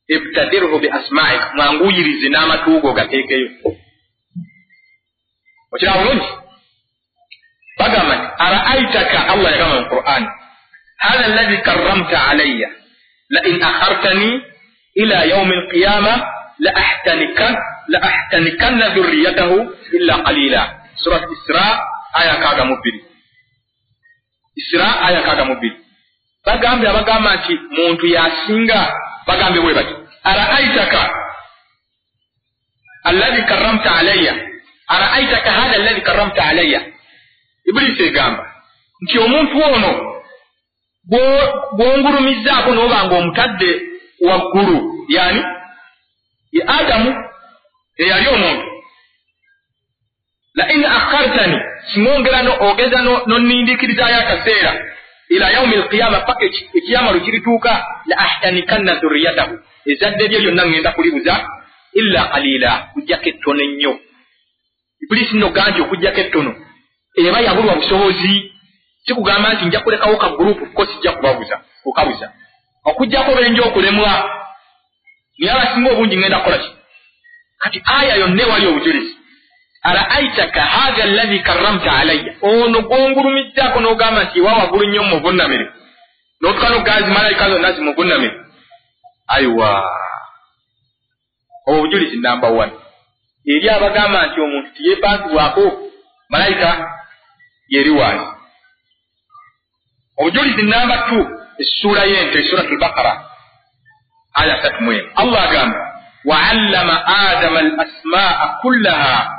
ibtadirhu bi asma'ik, mwanguyirize n'amatu go gateekeyo. Okiraba bulungi. Bagamba nti ara'aitaka, Allah yagamba mu Qur'an hadha alladhi karramta alayya la in akhartani ila yawmi alqiyama la ahtanikan la ahtanikanna dhurriyatahu illa qalila. Surat Isra aya nkaaga mu bbiri. Isra aya nkaaga mu bbiri. Bagambye abagamba nti muntu yasinga, bagambye bwe bati ara'aitaka alladhi karramta alayya, ara'aitaka hadha alladhi karramta alayya. Ibilisi egamba nti omuntu ono bw'ongulumizzaako n'oba ng'omutadde waggulu, yani ye Adamu eyali omuntu, la in akhartani, singa ogeza nonnindiikirizaayo akaseera ila yaumi alqiyama, paka ekiyama lwe kirituuka, la ahtanikanna dhurriyatahu, ezzadde lye lyonna ŋŋenda kulibuza, illa qalila, kujjako ettono ennyo. Ibilisi nno gaa nti okujjako ettono eba yabulwa busobozi, si kugamba nti nja kulekawo ka gurupu ko sijja kubabuza kukabuza, okujjako benja okulemwa, naye abasinga obungi ŋŋenda kukola ki? Kati aya yonna ewali obujulizi ara'aitaka hadha alladhi karramta alayya, ono gwongulumizzaako n'ogamba nti ewa waggulu nnyo mumuvunnamire, n'otuka n'okugaa malayika zonna zimuvunnamire. Aiwa, obwo obujulizi namba one eri abagamba nti omuntu tiyeepankibwako malayika yeri wansi. Obujulizi namba two, essuula y'ente, Suratul Baqara aya asatu mu emu. Allah agamba wa'allama Adama al-asmaa kullaha,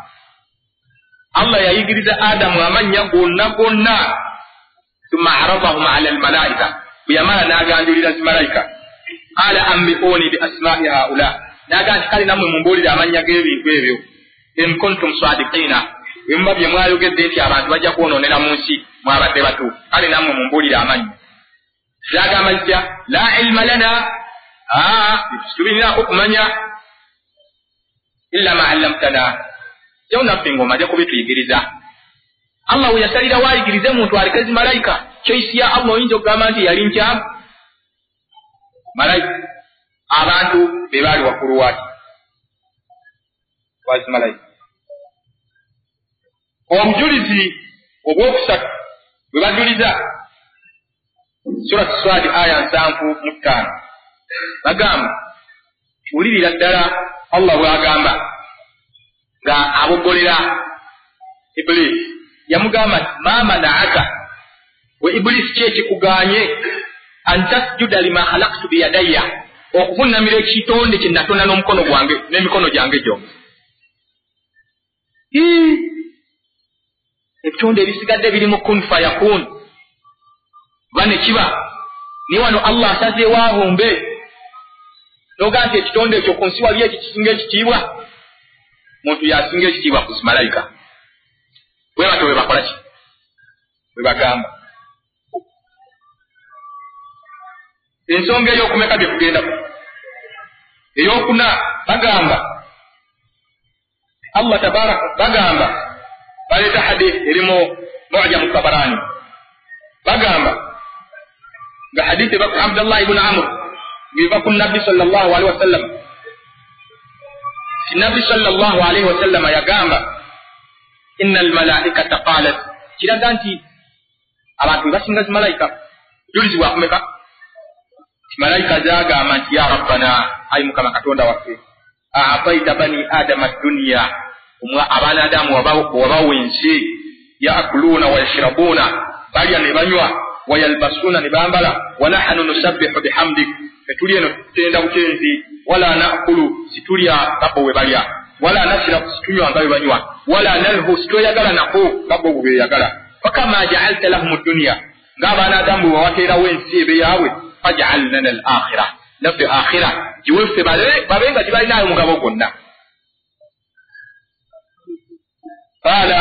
Allah yayigiriza Adamu amannya gonna gonna, thumma aradahum ala almalaika, bwe yamala n'aganjulira zimalayika, qala ambi'uni bi asma'i haula, N'agamba nti kale nammwe mumbuulire amannya g'ebintu ebyo. In kuntum sadiqina, bwe muba bye mwayogedde nti abantu bajja kwonoonera mu nsi mwabadde batuufu, kale nammwe mumbuulire amannya. Zagamba zitya? La ilma lana, tubirinaako kumanya, illa ma allamtana, jawo naffe ng'omaze kubituyigiriza. Allah we yasalirawo ayigirize muntu aleke zimalayika. Choice ya Allah oyinza okugamba nti yali nkyamu? Malayika abantu be baali waggulu waaki wazimalayika. Obujulizi obwokusatu bwe bajuliza Surat Swad aya nsanvu mu ttaano, bagamba wulirira ddala Allah bw'agamba nga aboggolera Ibulisi. Yamugamba nti ma manaaka, we Ibulisi ki ekikugaanye an tasjuda lima khalaqtu biyadayya, okuvunnamira ekitonde kye natonda n'omukono gwange n'emikono gyange gyombi. Ebitonde ebisigadde biri mu kun fayakun, oba ne kiba. Naye wano Allah asazeewo abumbe, n'ogaa nti ekitonde ekyo ku nsi wali ekyo kisinga ekitiibwa, muntu yasinga ekitiibwa ku zimalayika. Bwe batyo bwe bakola ki? Bwe bagamba. Ensonga ey'okumeka bye tugendako ey'okuna, bagamba Allah tabaraka, bagamba baleeta hadith erimu Mu'jamu Tabarani, bagamba nga hadith eva ku Abdullah ibn Amr ng'eva ku Nabbi sallallahu alaihi wasallam. Nabbi sallallahu alaihi wasallam yagamba inna almalaikata qalat, kiraga nti abantu basinga zimalayika. Julizi bwakumeka malayika zagamba nti ya rabbana, ayi Mukama Katonda waffe, a'taita bani adama dunya, abaana Adamu wabawa ensi, yaakuluna wa yashrabuna, balya ne banywa, wayalbasuna ne bambala, wa nahnu nusabbihu bihamdik, fetuli eno tutenda butenzi, wala naakulu, situlya nga bo bwe balya, wala nashrabu, situnywa nga bwe banywa, wala nalhu, sitweyagala nako nga bo bwe beeyagala. Fakama ja'alta lahum dunya, ng'abaana Adamu bwe wabateerawo ensi ebe yaabwe, faj'al lana al-akhira, naffe akhira giweffe babe nga tebalinayo mugabo gwonna. Qala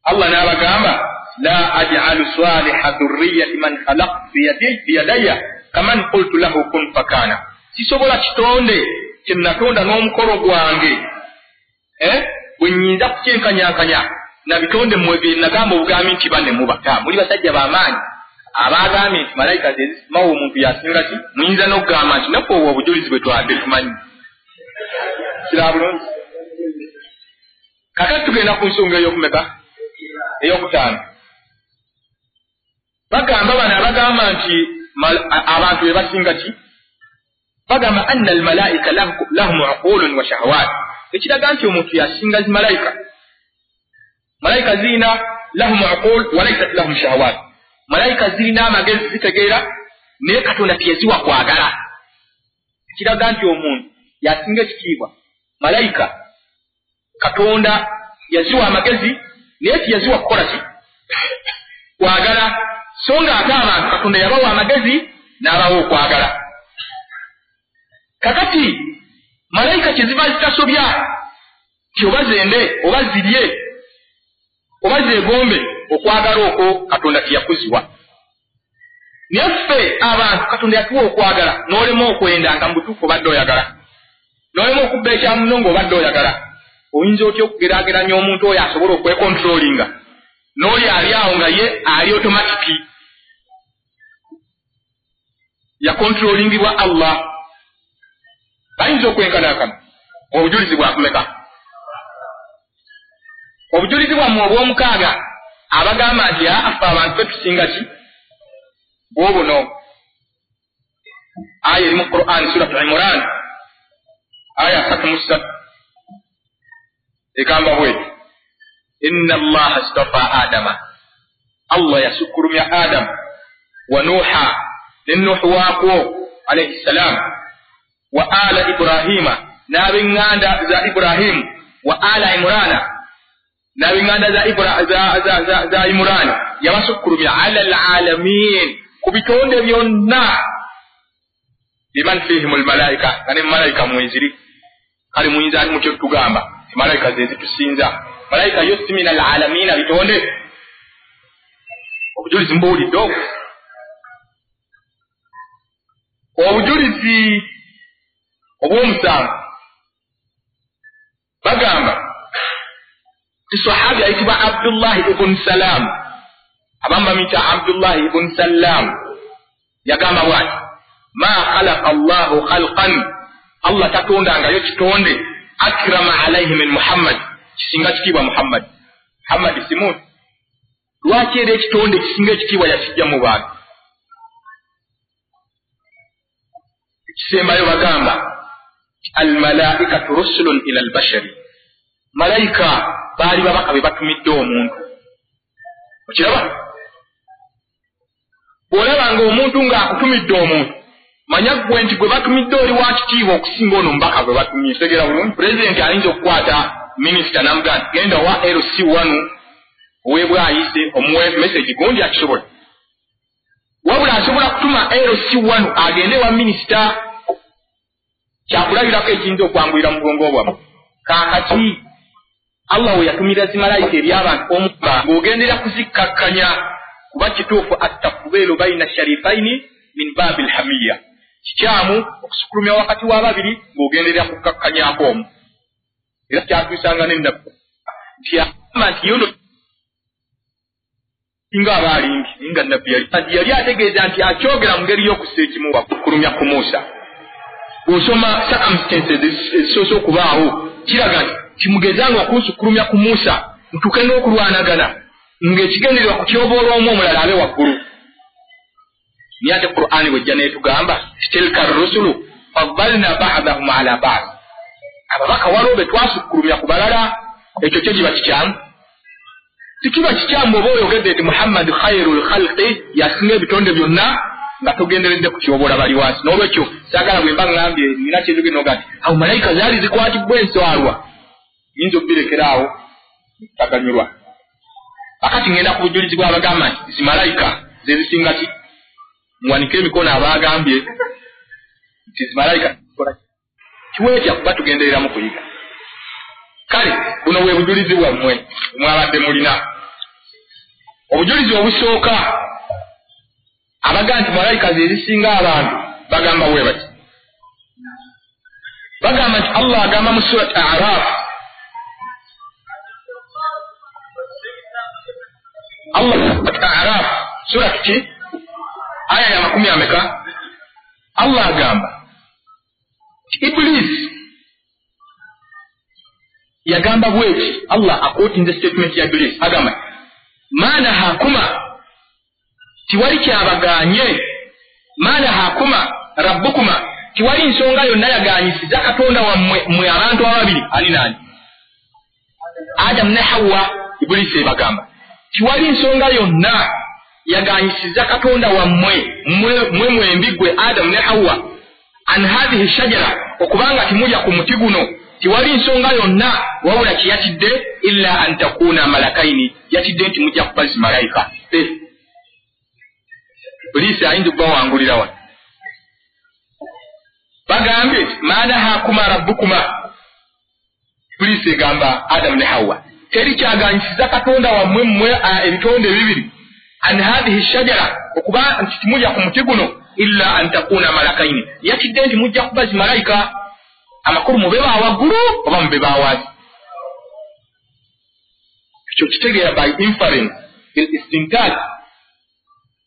Allah n'abagamba la aj'alu saliha dhurriyyati man khalaqtu biyadayya kaman qultu lahu kun fakana, sisobola kitonde kye natonda n'omukono gwange eh bwe nnyinza kukyenkanyankanya na bitonde mmwe bye nagamba obugambi nti banne mubaka muli basajja b'amaanyi abagambye nti malayika ze zisimawo omuntu yasinga ki, muyinza n'okugamba nti naffe obwo obujulizi bwe twadde tumanyi. Kiraba bulungi. Kakati tugenda ku nsonga ey'okumeka ey'okutaano. Bagamba bano abagamba nti abantu be basinga ki, bagamba anna almalaika lahum uqulun wa shahawat, ekiraga nti omuntu yasinga zimalayika. Malayika zirina lahum uqul wa laysat lahum shahawat, malayika zirina amagezi zitegeera, naye Katonda teyaziwa kwagala. Ekiraga nti omuntu yasinga ekitiibwa. Malayika Katonda yaziwa amagezi naye teyaziwa kukola ki? Kwagala. So nga ate abantu Katonda yabawa amagezi n'abawa okwagala. Kakati malayika kye ziba zitasobya ti oba zende oba zirye oba zeegombe, okwagala okwo Katonda teyakuziwa. Naye ffe abantu Katonda yatuwa okwagala, n'olema okwenda nga mu butuufu obadde oyagala, n'olema okubba ekyamuno ng'obadde oyagala. Oyinza otya okugeraageranya omuntu oyo asobola okwekontrolinga n'oli ali awo nga ye ali otomatiki yakontrolingibwa Allah? Bayinza okwenkanankana. Obujulizi bwakumeka? Obujulizi bwammwe obw'omukaaga abagamba nti affe abantu ffe tusinga ki, bwobuno. Aya eri mu Qur'an Surat Imran aya asatu mu ssatu egamba bweti, inna Allaha astafa Adama, Allah yasukkulumya Adamu wa Nuuha ne Nuuhu waakwo alayhi salam, wa ala Ibrahima n'ab'eŋŋanda za Ibrahimu, wa ala Imurana n'ab'eŋŋanda za, za, za, za, za Imurani, yabasukkulumya ala alalamin, ku bitonde byonna. Biman fihim almalaika, nga ne malayika mweziri. Kale muyinza ati mutyo tugamba ti malayika ze zitusinza. Malayika yo si min alalamina, bitonde. Obujulizi mbuwulidde obwo. Obujulizi obw'omusanvu bagamba ti sahabi ayitibwa Abdullahi ibn Salam, abamu bamuyita Abdullahi ibn Salam, yagamba bw'ati: ma khalaqa Allahu khalqan, Allah tatondangayo kitonde akrama alaihi min Muhammad, kisinga kitiibwa Muhammad. Muhammad si muntu. Lwaki era ekitonde kisinga ekitiibwa yakijja mu bantu? Ekisembayo bagamba almalaikatu rusulun ila albashari, malayika baali babaka be batumidde omuntu. Okiraba? Bw'olabanga omuntu ng'akutumidde omuntu, manya ggwe nti gwe batumidde oli wa kitiibwa okusinga ono omubaka gwe batumye. Tegera bulungi. Pulezidenti ayinza okukwata minisita n'amugamba nti genda wa L C one oweebwa ayise omuwe message gundi, akisobola. Wabula asobola kutuma L C one agende wa minisita. Kyakulabirako ekiyinza okwanguyira mu bwongo bwammwe. Kaakati Allah we yatumira zimalayika eri abantu omuba ng'ogendera kuzikkakkanya, kuba kituufu attafbeelu baina sharifaini min baabi lhamiya, kikyamu okusukulumya wakati w'ababiri ng'ogenderera kukkakkanyako omu. Era kyatuusanga n'ennaku nti agamba nti yono nga aba alimbi, nga nabbi yali yali ategeeza nti akyogera mu ngeri y'okussa ekimu okukulumya ku Musa. Bw'osoma circumstances ezisoose okubaawo kiraga nti kimugezanga okunsukulumya ku Musa ntuuke n'okulwanagana ng'ekigendererwa kutyoboola omu omulala abe waggulu. Naye ate Qur'ani bw'ejja n'etugamba tilka rusulu faddalna ba'dahum ala ba'd, ababaka waliwo be twasukkulumya ku balala. Ekyo kyo kiba kikyamu? Tikiba kikyamu bw'oba oyogedde nti Muhammad khairul khalqi, yasinga ebitonde byonna, nga togenderedde kutyoboola bali wansi. N'olwekyo saagala bwe mba ŋŋambye nina kyenjogedde n'oga nti awo malayika zaali zikwatibwa enswalwa, nyinza okubirekera awo taganyulwa. Akati ngenda ku bujulizi bw'abagamba nti zimalayika ze zisinga ki. Muwanike emikono abaagambye nti zimalayika kiweetya kuba tugendereramu kuyiga. Kale buno bwe bujulizi bwammwe mwabadde mulina. Obujulizi obusooka abaga nti malayika ze zisinga abantu bagamba bwe bati. Bagamba nti Allah agamba mu Surat A'raf, Allah A'raf sura ki aya ya makumi ameka, Allah agamba Iblis yagamba bweki. Allah akotinze statement ya Iblis agamba maana hakuma, tiwali kyabaganye, maana hakuma rabbukuma, tiwali nsonga yonna yaganyisiza Katonda wammwe mmwe abantu ababiri ani nani, Adam ne Hawa. Iblis ebagamba tiwali nsonga yonna yaganyisiza Katonda wammwe mmwe mwembi gwe Adam ne Hawa an hadhihi shajara, okubanga timulya ku muti guno, tiwali nsonga yonna wabula kiyatidde illa an takuna malakaini, yatidde nti mujja kuba zimalayika. Iblis ayinza okubawangulira wano. Bagambye maana hakuma rabbukuma, Iblis egamba Adam ne Hawa teri kyaganyisiza Katonda wammwe mmwe ebitonde bibiri an hadhihi shajara, okuba nti timulya ku muti guno, illa an takuna malakaini, yatidde nti mujja kuba zimalayika. Amakulu mube ba waggulu oba mube ba wansi. Ekyo kitegeera by inference bil istintaj,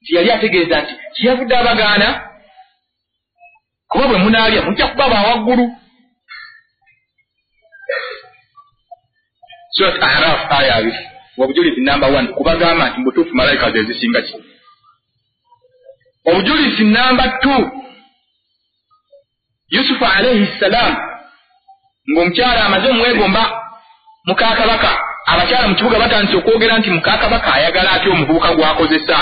nti yali ategeeza nti kiyavudde abagaana kuba bwe munaalya mujja kuba ba waggulu. Surat A'raf aya abiri, obujulizi namba one kubagamba nti mubutuufu malayika ze zisinga ki. Obujulizi namba two, Yusufu alayhi salam ng'omukyala amaze omwegomba mukakabaka, abakyala mu kibuga batandise okwogera nti mukakabaka ayagala atya omuvubuka gw'akozesa.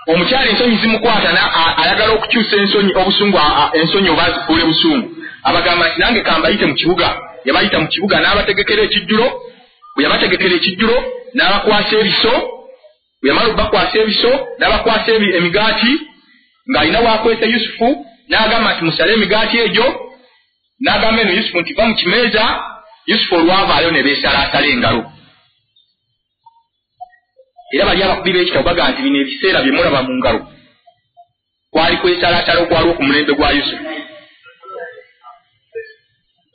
Omukyala ensonyi zimukwata ayagala okukyusa ensonyi obusungu, ensonyi oba azifuule busungu. Abagamba nti nange kambayite mu kibuga. Yabayita mu kibuga n'abategekera ekijjulo. Bwe yabategekera ekijjulo n'abakwasa ebiso, bwe yamala okubakwasa ebiso n'abakwasa emigaati Ng'alina wakwesa Yusufu n'agamba nti musale emigaati egyo, n'agamba eno Yusufu nti va mu kimeeza. Yusufu olwavaayo ne beesalaasala engalo. Era bali abakubi b'ekitabo bagamba nti bino ebiseera bye mulaba mu ngalo kwali kwesalaasala okwaliwo ku mulembe gwa Yusufu.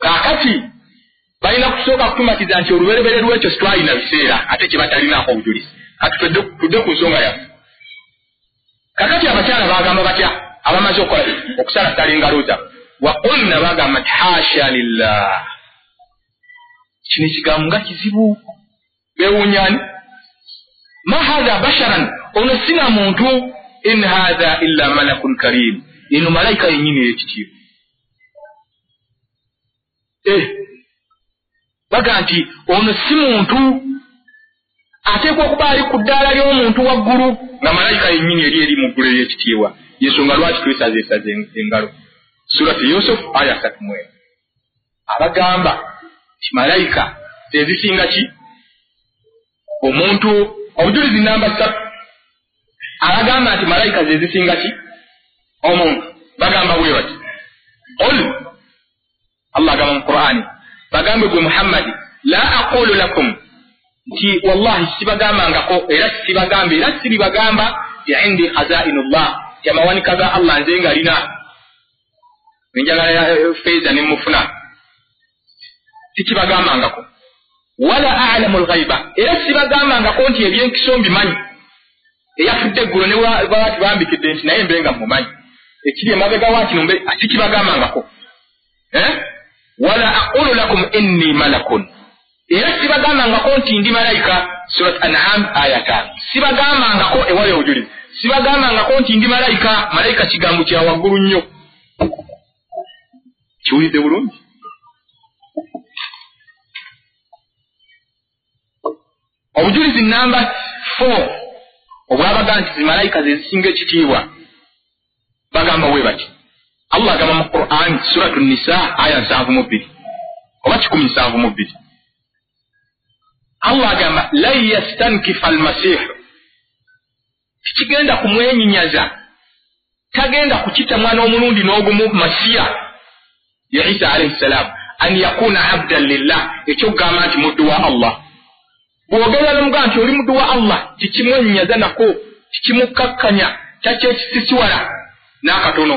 Kaakati balina kusooka kutumatiza nti olubereberye lw'ekyo sitwalina biseera, ate kye batalinaako obujulizi. Kati tudde ku nsonga yaffe. Kakati abakyala bagamba batya abamaze okukola okusalasala engalo zaabwe? Waqulna, bagamba nti hasha lillah. Kino ekigambo nga kizibu, beewuunyani. Ma hatha basharan, ono sina muntu. In hatha illa malakun karim, eno malayika yennyini ey'ekitiibwa. Eh, baga nti ono si muntu, ateekwa okuba ali ku ddaala ly'omuntu waggulu, nga malayika yennyini eri eri mu ggulu ery'ekitiibwa. Yensonga lwaki twesazeesaze engalo. Surati Yusuf aya asatu mu emu abagamba nti malayika zezisinga ki omuntu. Obujulizi namba ssatu abagamba nti malayika zezisinga ki omuntu, bagamba bwe bati: qul, Allah agamba mu Qur'ani, bagambe gwe Muhammadi, la aqulu lakum, nti wallahi sibagambangako era sibagamba era siribagamba ti indi khazainullah, ti amawanika ga Allah nze nga lina enjagala feeza ne mufuna, tikibagambangako. Wala a'lamu lghaiba, era sibagambangako nti ebyenkiso mbimanyi. Eyafudde eggulo ne baba tibambikidde nti naye mbe nga mumanyi ekiri emabega wa kino, mbe sikibagambangako. Eh? Wala aqulu lakum inni malakun, era sibagambangako nti ndi malayika. Surat An'am aya ttaano. Sibagambangako, ewali obujulizi, sibagambangako nti ndi malayika. Malayika kigambo kya waggulu nnyo. Kiwulidde bulungi? Obujulizi namba four obwabaga nti zimalayika ze zisinga ekitiibwa, bagamba bwe bati: Allah agamba mu Qur'an Suratu Nisa aya nsanvu mu bbiri oba kikumi nsanvu mu bbiri, Allah agamba lan yastankifa almasihu, tikigenda kumwenyinyaza, tagenda kukitamwa n'omulundi n'ogumu Masiya ya Isa alayhi salam, an yakuna abdan lillah, ekyokugamba nti muddu wa Allah. Bw'ogenda n'omugamba nti oli muddu wa Allah, tikimwenyinyaza nako, tikimukkakkanya, takyekisisiwala n'akatono.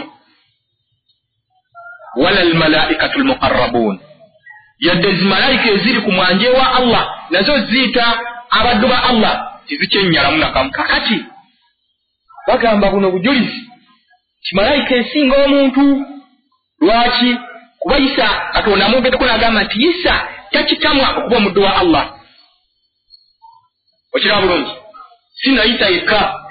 Wala almalaikatu almuqarrabun, yadde zimalayika eziri ku mwanje wa Allah nazo ziyita abaddu ba Allah, tizikyennyalamu nakamu. Kakati bagamba buno bujulizi kimalayika esinga omuntu. Lwaki? Kuba Isa Katonda amwogeddeko n'agamba nti Isa takitamwa okuba omuddu wa Allah. Okiraba bulungi? Si na Isa yekka,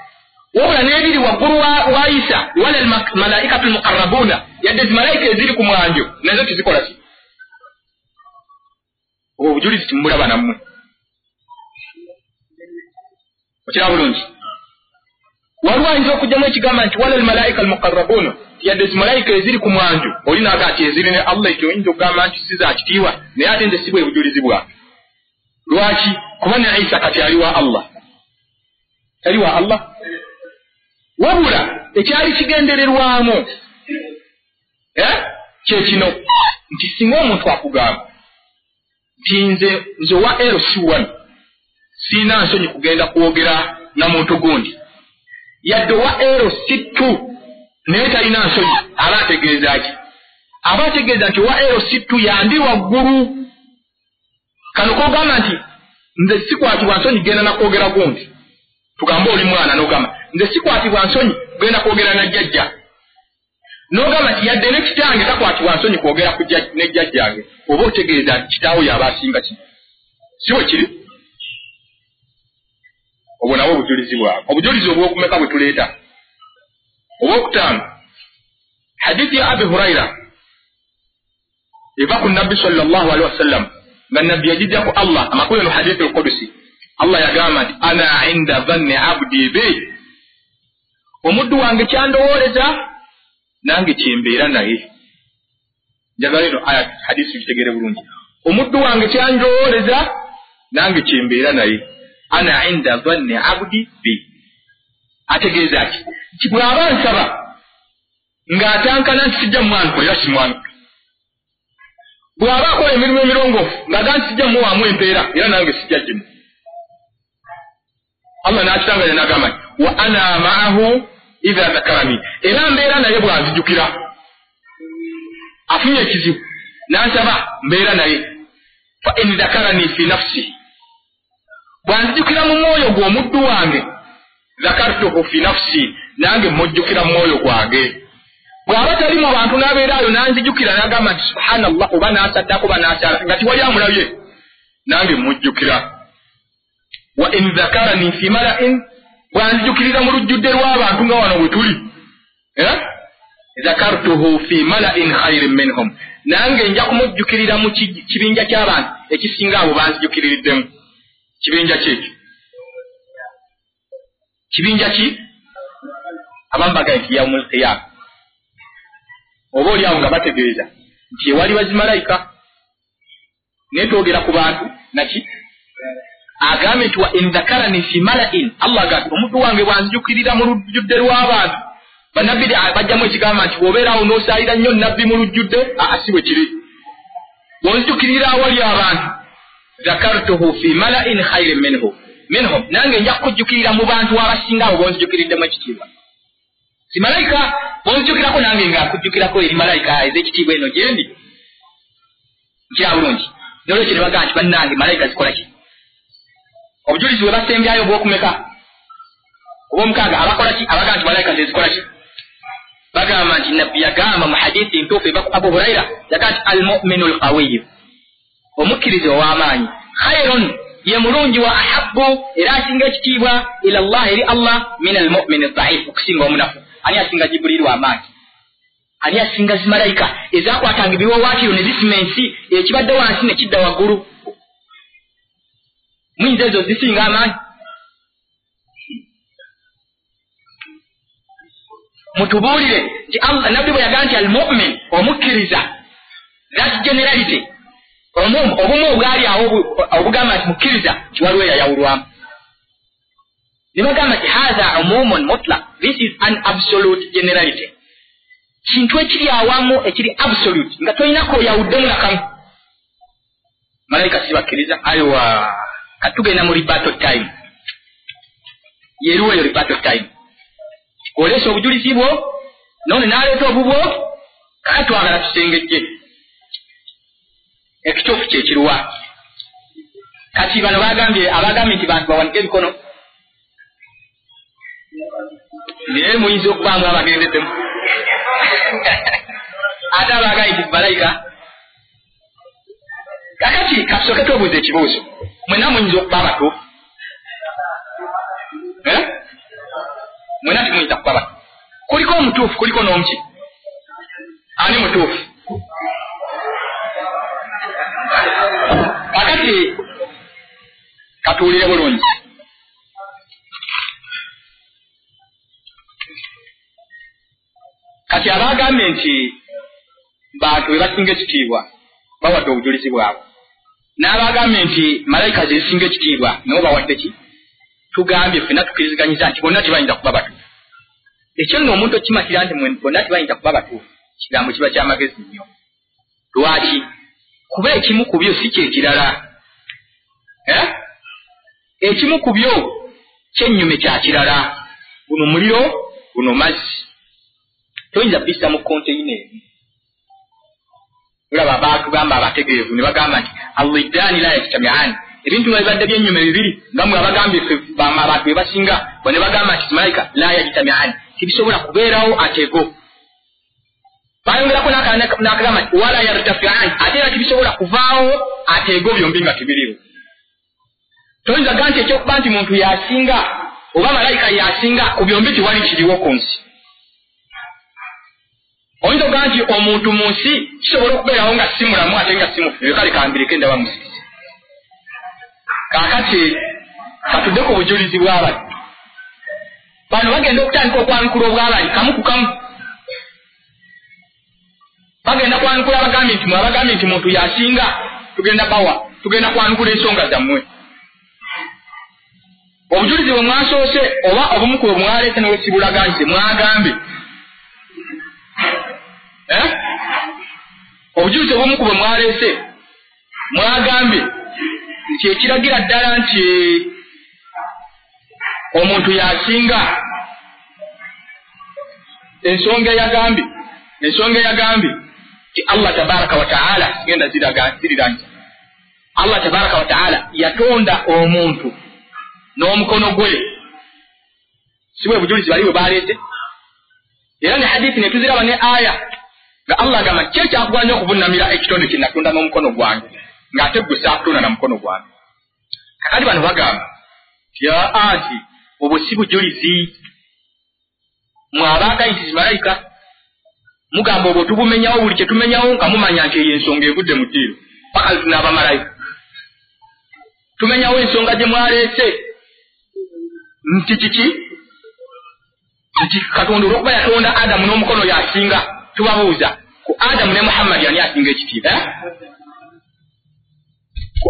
wabula n'ebiri waggulu wa Isa, wala almalaikatu almuqarrabuuna, yadde zimalayika eziri ku mwanjo nazo tizikola ki. Obwo obujulizi timulaba nammwe. Okiraba bulungi? Waliwo ayinza okugyamu ekigamba nti wala almalaika almuqarrabuuna, yadde zimalayika eziri ku mwanjo, oli n'aga nti eziri ne Allah, ekyo oyinza okugamba nti si za kitiibwa, naye ate nze si bwe bujulizi bwange. Lwaki? Kuba ne Isa kati ali wa Allah, tali wa Allah. Wabula ekyali kigendererwamu eh kye kino nti singa omuntu akugamba nti nze nze owa L C one siina nsonyi kugenda kwogera na muntu gundi, yadde owa L C two naye talina nsonyi, aba ategeeza ki? Aba ategeeza nti owa L C two yandi waggulu. Kano kogamba nti nze sikwatibwa nsonyi genda nakwogera gundi, tugambe oli mwana n'ogamba nze sikwatibwa nsonyi genda kwogera na jjajja, n'ogamba nti yadde ne kitange takwatibwa nsonyi kwogera ku ne jjajjange, oba otegeeza nti kitaawo y'aba asinga ki? Si bwe kiri? Obwo nabwo obujulizi bwabwe. Obujulizi obwokumeka bwe tuleeta obwokutaano, hadithi ya Abi Huraira eva ku Nabbi sallallahu alaihi wasallam, nga Nabbi yagijja ku Allah, amakulu eno hadithi al-Qudusi. Allah yagamba nti ana inda dhanni abdi bi, omuddu wange kyandowooleza nange kyembeera naye. Njagala eno aya hadisi tutegere bulungi. Omuddu wange kyandowooleza nange kyembeera naye, ana inda dhanni abdi bi, ategeeza ki? Nti bw'aba nsaba Ng'atankana nti sijja mwanukula era simwanukula. Bw'aba akola emirimu emirongoofu ng'aga nti sijja muwaamu empeera era nange sijja gimu. Allah n'akitanganya n'agamba nti wa ana ma'ahu idha dhakarani, era mbeera naye bw'anzijukira. Afunye ekizibu n'ansaba mbeera naye. Fa in dhakarani fi nafsi, bw'anzijukira mu mwoyo gw'omuddu wange, dhakartuhu fi nafsi, nange mujjukira mu mwoyo gwange. Bw'aba tali mu bantu n'abeeraayo n'anzijukira n'agamba nti subhanallah, oba n'asaddako oba n'akyala nga tiwali amulabye, nange mujjukira. Wa in dhakarani fi mala'in, bw'anzijukirira mu lujjudde lw'abantu nga wano bwe tuli, eh? Dhakartuhu fi mala'in khairin minhum, nange nja kumujjukirira mu kibinja ky'abantu ekisinga abo banzijukiririddemu. Kibinja ki ekyo? Kibinja ki? Abamu bagamba nti yaumul qiyama, oba oli awo nga bategeeza nti ewali bazimalayika. Naye twogera ku bantu naki agambye nti wa in dhakarani fi mala'in, Allah agambye omuddu wange bw'anzijukirira mu lujjudde lw'abantu. Bannabbi bajjamu ekigamba nti bw'obeera awo n'osaalira nnyo nabbi mu lujjudde, aa si bwe kiri. Bw'onzijukirira awali abantu, dhakartuhu fi mala'in khairin minhu minhum, nange nja kukujjukirira mu bantu abasinga abo b'onzijukiriddemu ekitiibwa. Si malayika bw'onzijukirako nange nga nkujjukirako eri malayika ez'ekitiibwa eno gyendi. Nkira bulungi. N'olwekyo ne bagamba nti bannange malayika zikola ki? Obujulizi bwe basembyayo obw'okumeka obw'omukaaga abakola ki? Abagamba nti malayika zezikola ki? Bagamba nti nabbi yagamba mu hadithi ntuufu eva ku Abu Huraira, yagamba nti almuminu alqawiyu, omukkiriza ow'amaanyi, khairun, ye mulungi, wa ahabbu, era asinga ekitiibwa, ila Allah, eri Allah, min almumini dhaifu, okusinga omunafu. Ani asinga Jibuliiru amaanyi? Ani asinga zimalayika ezakwatanga ebiwaawaatiro ne zisima ensi, ekibadde wansi ne kidda waggulu? Muyinza ezo zisinga amaanyi? Mutubuulire nti nabbi bwe yagamba nti almumin, omukkiriza, that generality, obumu obwali awo obugamba nti mukkiriza, nti waliwo eyayawulwamu. Ne bagamba nti hatha umumun mutlaq, this is an absolute generality, kintu ekiri awamu ekiri absolute nga tolinako oyawuddemu nakamu. Malayika si bakkiriza. Ayiwa, katugenda mu rebuttal time. Yeriwo eyo rebuttal time, oleesa obujulizi bwo none n'aleeta obubwo, kakati twagala tusengejje ekituufu kyekiruwa. Kati bano bagambye abagambye nti bantu bawanike emikono, naye muyinza okubaamu abagendeddemu ate abagambye nti malayika. Kakati katusooke twebuuza ekibuuzo, mwenna muyinza okuba abatuufu? Mwenna timuyinza kuba batuufu. Kuliko omutuufu, kuliko n'omuki. Ani mutuufu? Kakati katuwulire bulungi. Kati abagambye nti bantu be basinga ekitiibwa bawadde obujulizi bwabwe, n'abagambye nti malayika ze zisinga ekitiibwa nabo bawadde ki? Tugambye ffenna tukkiriziganyiza nti bonna tebayinza kuba batuufu. Ekyo nno omuntu okimatira nti bonna tebayinza kuba batuufu, kigambo kiba kyamagezi nnyo. Lwaki? Kuba ekimu ku byo si kyekirala. Eh? Ekimu ku byo kyennyume kya kirala. Guno muliro, guno mazzi. Toyinza bissa mu konteyina emu. Olaba baatugamba abategeevu ne bagamba nti aliddaani la yajtami'aani, ebintu nga bibadde byennyume bibiri nga mwe abagambye ffe abantu be basinga, bo ne bagamba nti malayika la yajtami'aani, tebisobola kubeerawo atego. Bayongerako n'akagamba nti wala yartafi'aani, ate era tebisobola kuvaawo atego byombi nga tebiriwo. Toyinza ga nti ekyokuba nti muntu yasinga oba malayika yasinga ku byombi tiwali kiriwo ku nsi. Oyinza okugaa nti omuntu mu nsi kisobola okubeerawo nga si mulamu ate nga si mufu, kale kambireke ndaba musisi. Kaakati katudde ku bujulizi bw'abali. Bano bagenda okutandika okwanukula obw'abali kamu ku kamu. Bagenda kwanukula abagambye nti mwe abagambye nti muntu yasinga, tugenda bawa, tugenda kwanukula ensonga zammwe. Obujulizi bwe mwasoose oba obumu ku bwe mwaleese ne bwe sibulaga nti mwagambye Eh? Obujulizi obumu ku bwe mwaleese mwagambye nti ekiragira ddala nti omuntu yasinga ensonga eyagambye ensonga eyagambye nti Allah tabaraka wa taala genda ziriranye Allah tabaraka wa taala yatonda omuntu n'omukono gwe si bwe bujulizi bali bwe baleese era ne hadithi ne tuziraba ne aya nga Allah agamba ki ekyakugwanya okuvunnamira ekitonde kye natonda n'omukono gwange ng'ate gwe saakutonda na mukono gwange. Kakati bano bagamba nti aa nti obwo si bujulizi mwe abaagayitizi malayika mugamba obwo tubumenyawo buli kye tumenyawo nga mumanya nti eyo ensonga evudde mu ddiiro paka n'abamalayika tumenyawo ensonga gye mwaleese nti kiki nti Katonda olw'okuba yatonda Adamu n'omukono yasinga tubabuuza ku Adamu ne Muhammadi ani asinga ekitiibwa? Ku